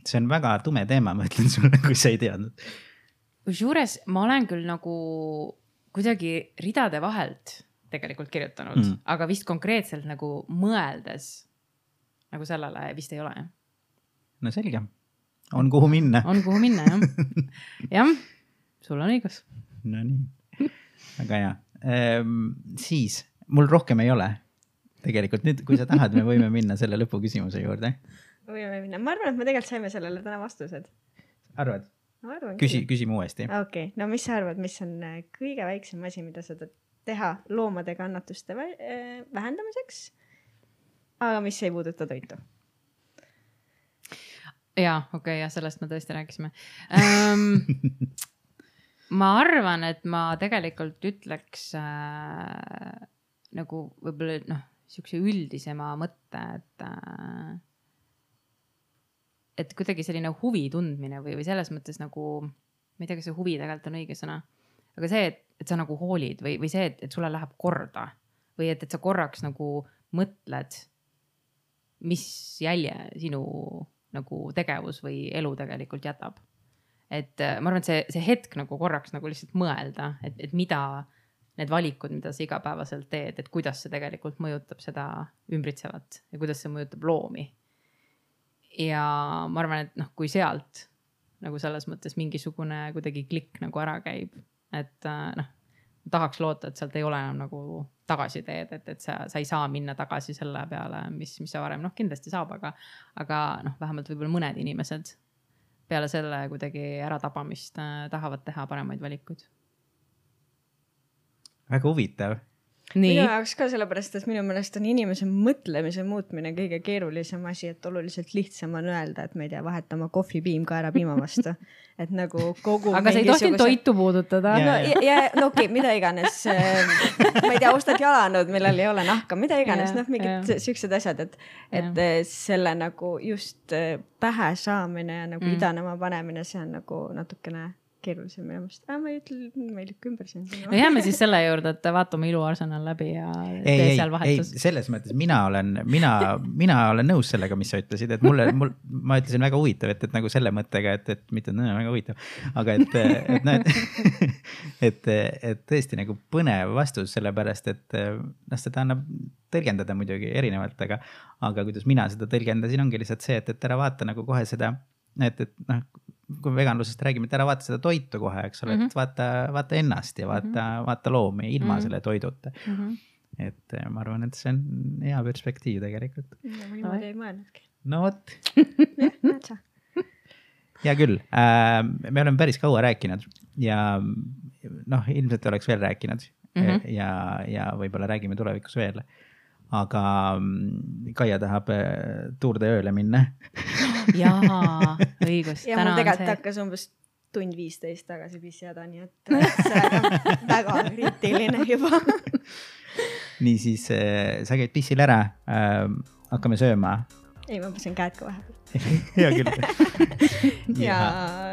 See on väga tume teema, ma ütlen sulle, kui sa ei teadnud. Kusjuures ma olen küll nagu kuidagi ridade vahelt tegelikult kirjutanud, aga vist konkreetselt nagu mõeldes nagu sellele vist ei ole. No selge. On kuhu minna. On kuhu minna, jah. Jah, sul on õigus. No nii. Väga hea. Siis, mul rohkem ei ole. Tegelikult nüüd, kui sa tahad, me võime minna selle lõpuküsimuse juurde. Võime minna. Ma arvan, et me tegelikult saime sellele täna vastused. Arvad? Küsi mu uuesti. Okei. No mis sa arvad, mis on kõige väiksem asi, mida sa teha loomade kannatuste vähendamiseks, aga mis ei puuduta toitu? Jaa, okei, ja sellest me tõesti rääkisime. Ma arvan, et ma tegelikult ütleks nagu võib-olla siukse üldisema mõtte, et kuidagi selline huvi tundmine või selles mõttes nagu, ma ei tea, kas see huvi tegelikult on õige sõna, aga see, et sa nagu hoolid või see, et sulle läheb korda või et sa korraks nagu mõtled, mis jälje sinu nagu tegevus või elu tegelikult jätab. Et ma arvan, et see hetk nagu korraks nagu lihtsalt mõelda, et mida need valikud, mida sa igapäevaselt teed, et kuidas see tegelikult mõjutab seda ümbritsevat ja kuidas see mõjutab loomi. Ja ma arvan, et kui sealt nagu selles mõttes mingisugune kuidagi klikk nagu ära käib, et tahaks loota, et sealt ei ole enam nagu tagasi teed, et sa ei saa minna tagasi selle peale, mis sa varem, kindlasti saab, aga vähemalt võib-olla mõned inimesed peale selle kuidagi äratabamist tahavad teha paremaid valikuid. Väga huvitav. Minu jaoks ka sellepärast, et minu meelest on inimese mõtlemise muutmine kõige keerulisem asi, et oluliselt lihtsam on öelda, et ma ei tea, vahetama kohvipiim kaerapiima vastu. Et nagu kogu aga sa ei tohtinud toitu puudutada. No okei, mida iganes. Ma ei tea, ostad jalanud, millal ei ole nahka, mida iganes, mingid siuksed asjad, et selle nagu just pähe saamine ja nagu idanema panemine, see on nagu natukene keerulisem minu meelest. Ma ei ütle, ma ei lükka ümber siin. No jääme siis selle juurde, et vaatame Ilu Arsenal läbi ja tee seal vahetus. Ei, selles mõttes mina olen nõus sellega, mis sa ütlesid, et ma ütlesin väga huvitav, et nagu selle mõttega, et mitte väga huvitav, aga et tõesti nagu põnev vastus sellepärast, et seda annab tõlgendada muidugi erinevalt, aga kuidas mina seda tõlgendasin, ongi lihtsalt see, et ära vaata nagu kohe seda, et kui veganlusest räägime, et ära vaata seda toitu kohe, eks ole, et vaata ennast ja vaata loomi ilma selle toiduta. Et ma arvan, et see on hea perspektiiv tegelikult. Ja ma niimoodi ei mõelnudki. No vot. Hea küll. Me oleme päris kaua rääkinud ja ilmselt oleks veel rääkinud ja võib-olla räägime tulevikus veel. Aga Kaia tahab Tour de ööle minna. Jaa, õigus. Ja mul tegelikult hakkas umbes 1:15 tagasi pissjada, nii et see on väga kriitiline juba. niisiis sa käid pissil ära, hakkame sööma. Ei, ma pesen käed ka vahepeal. Hea küll. Ja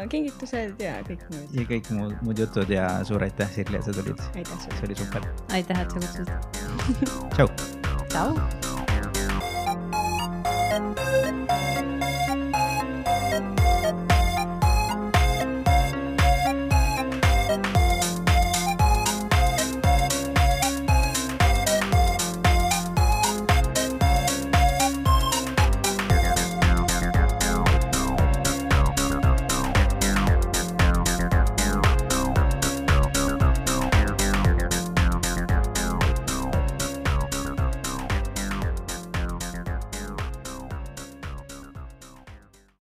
kingitused ja kõik muud. Ja kõik muud jutud ja suur aitäh, Sirli, et sa tulid. Aitäh. See oli super. Aitäh, et sa kutsusid. Tšau. Tšau.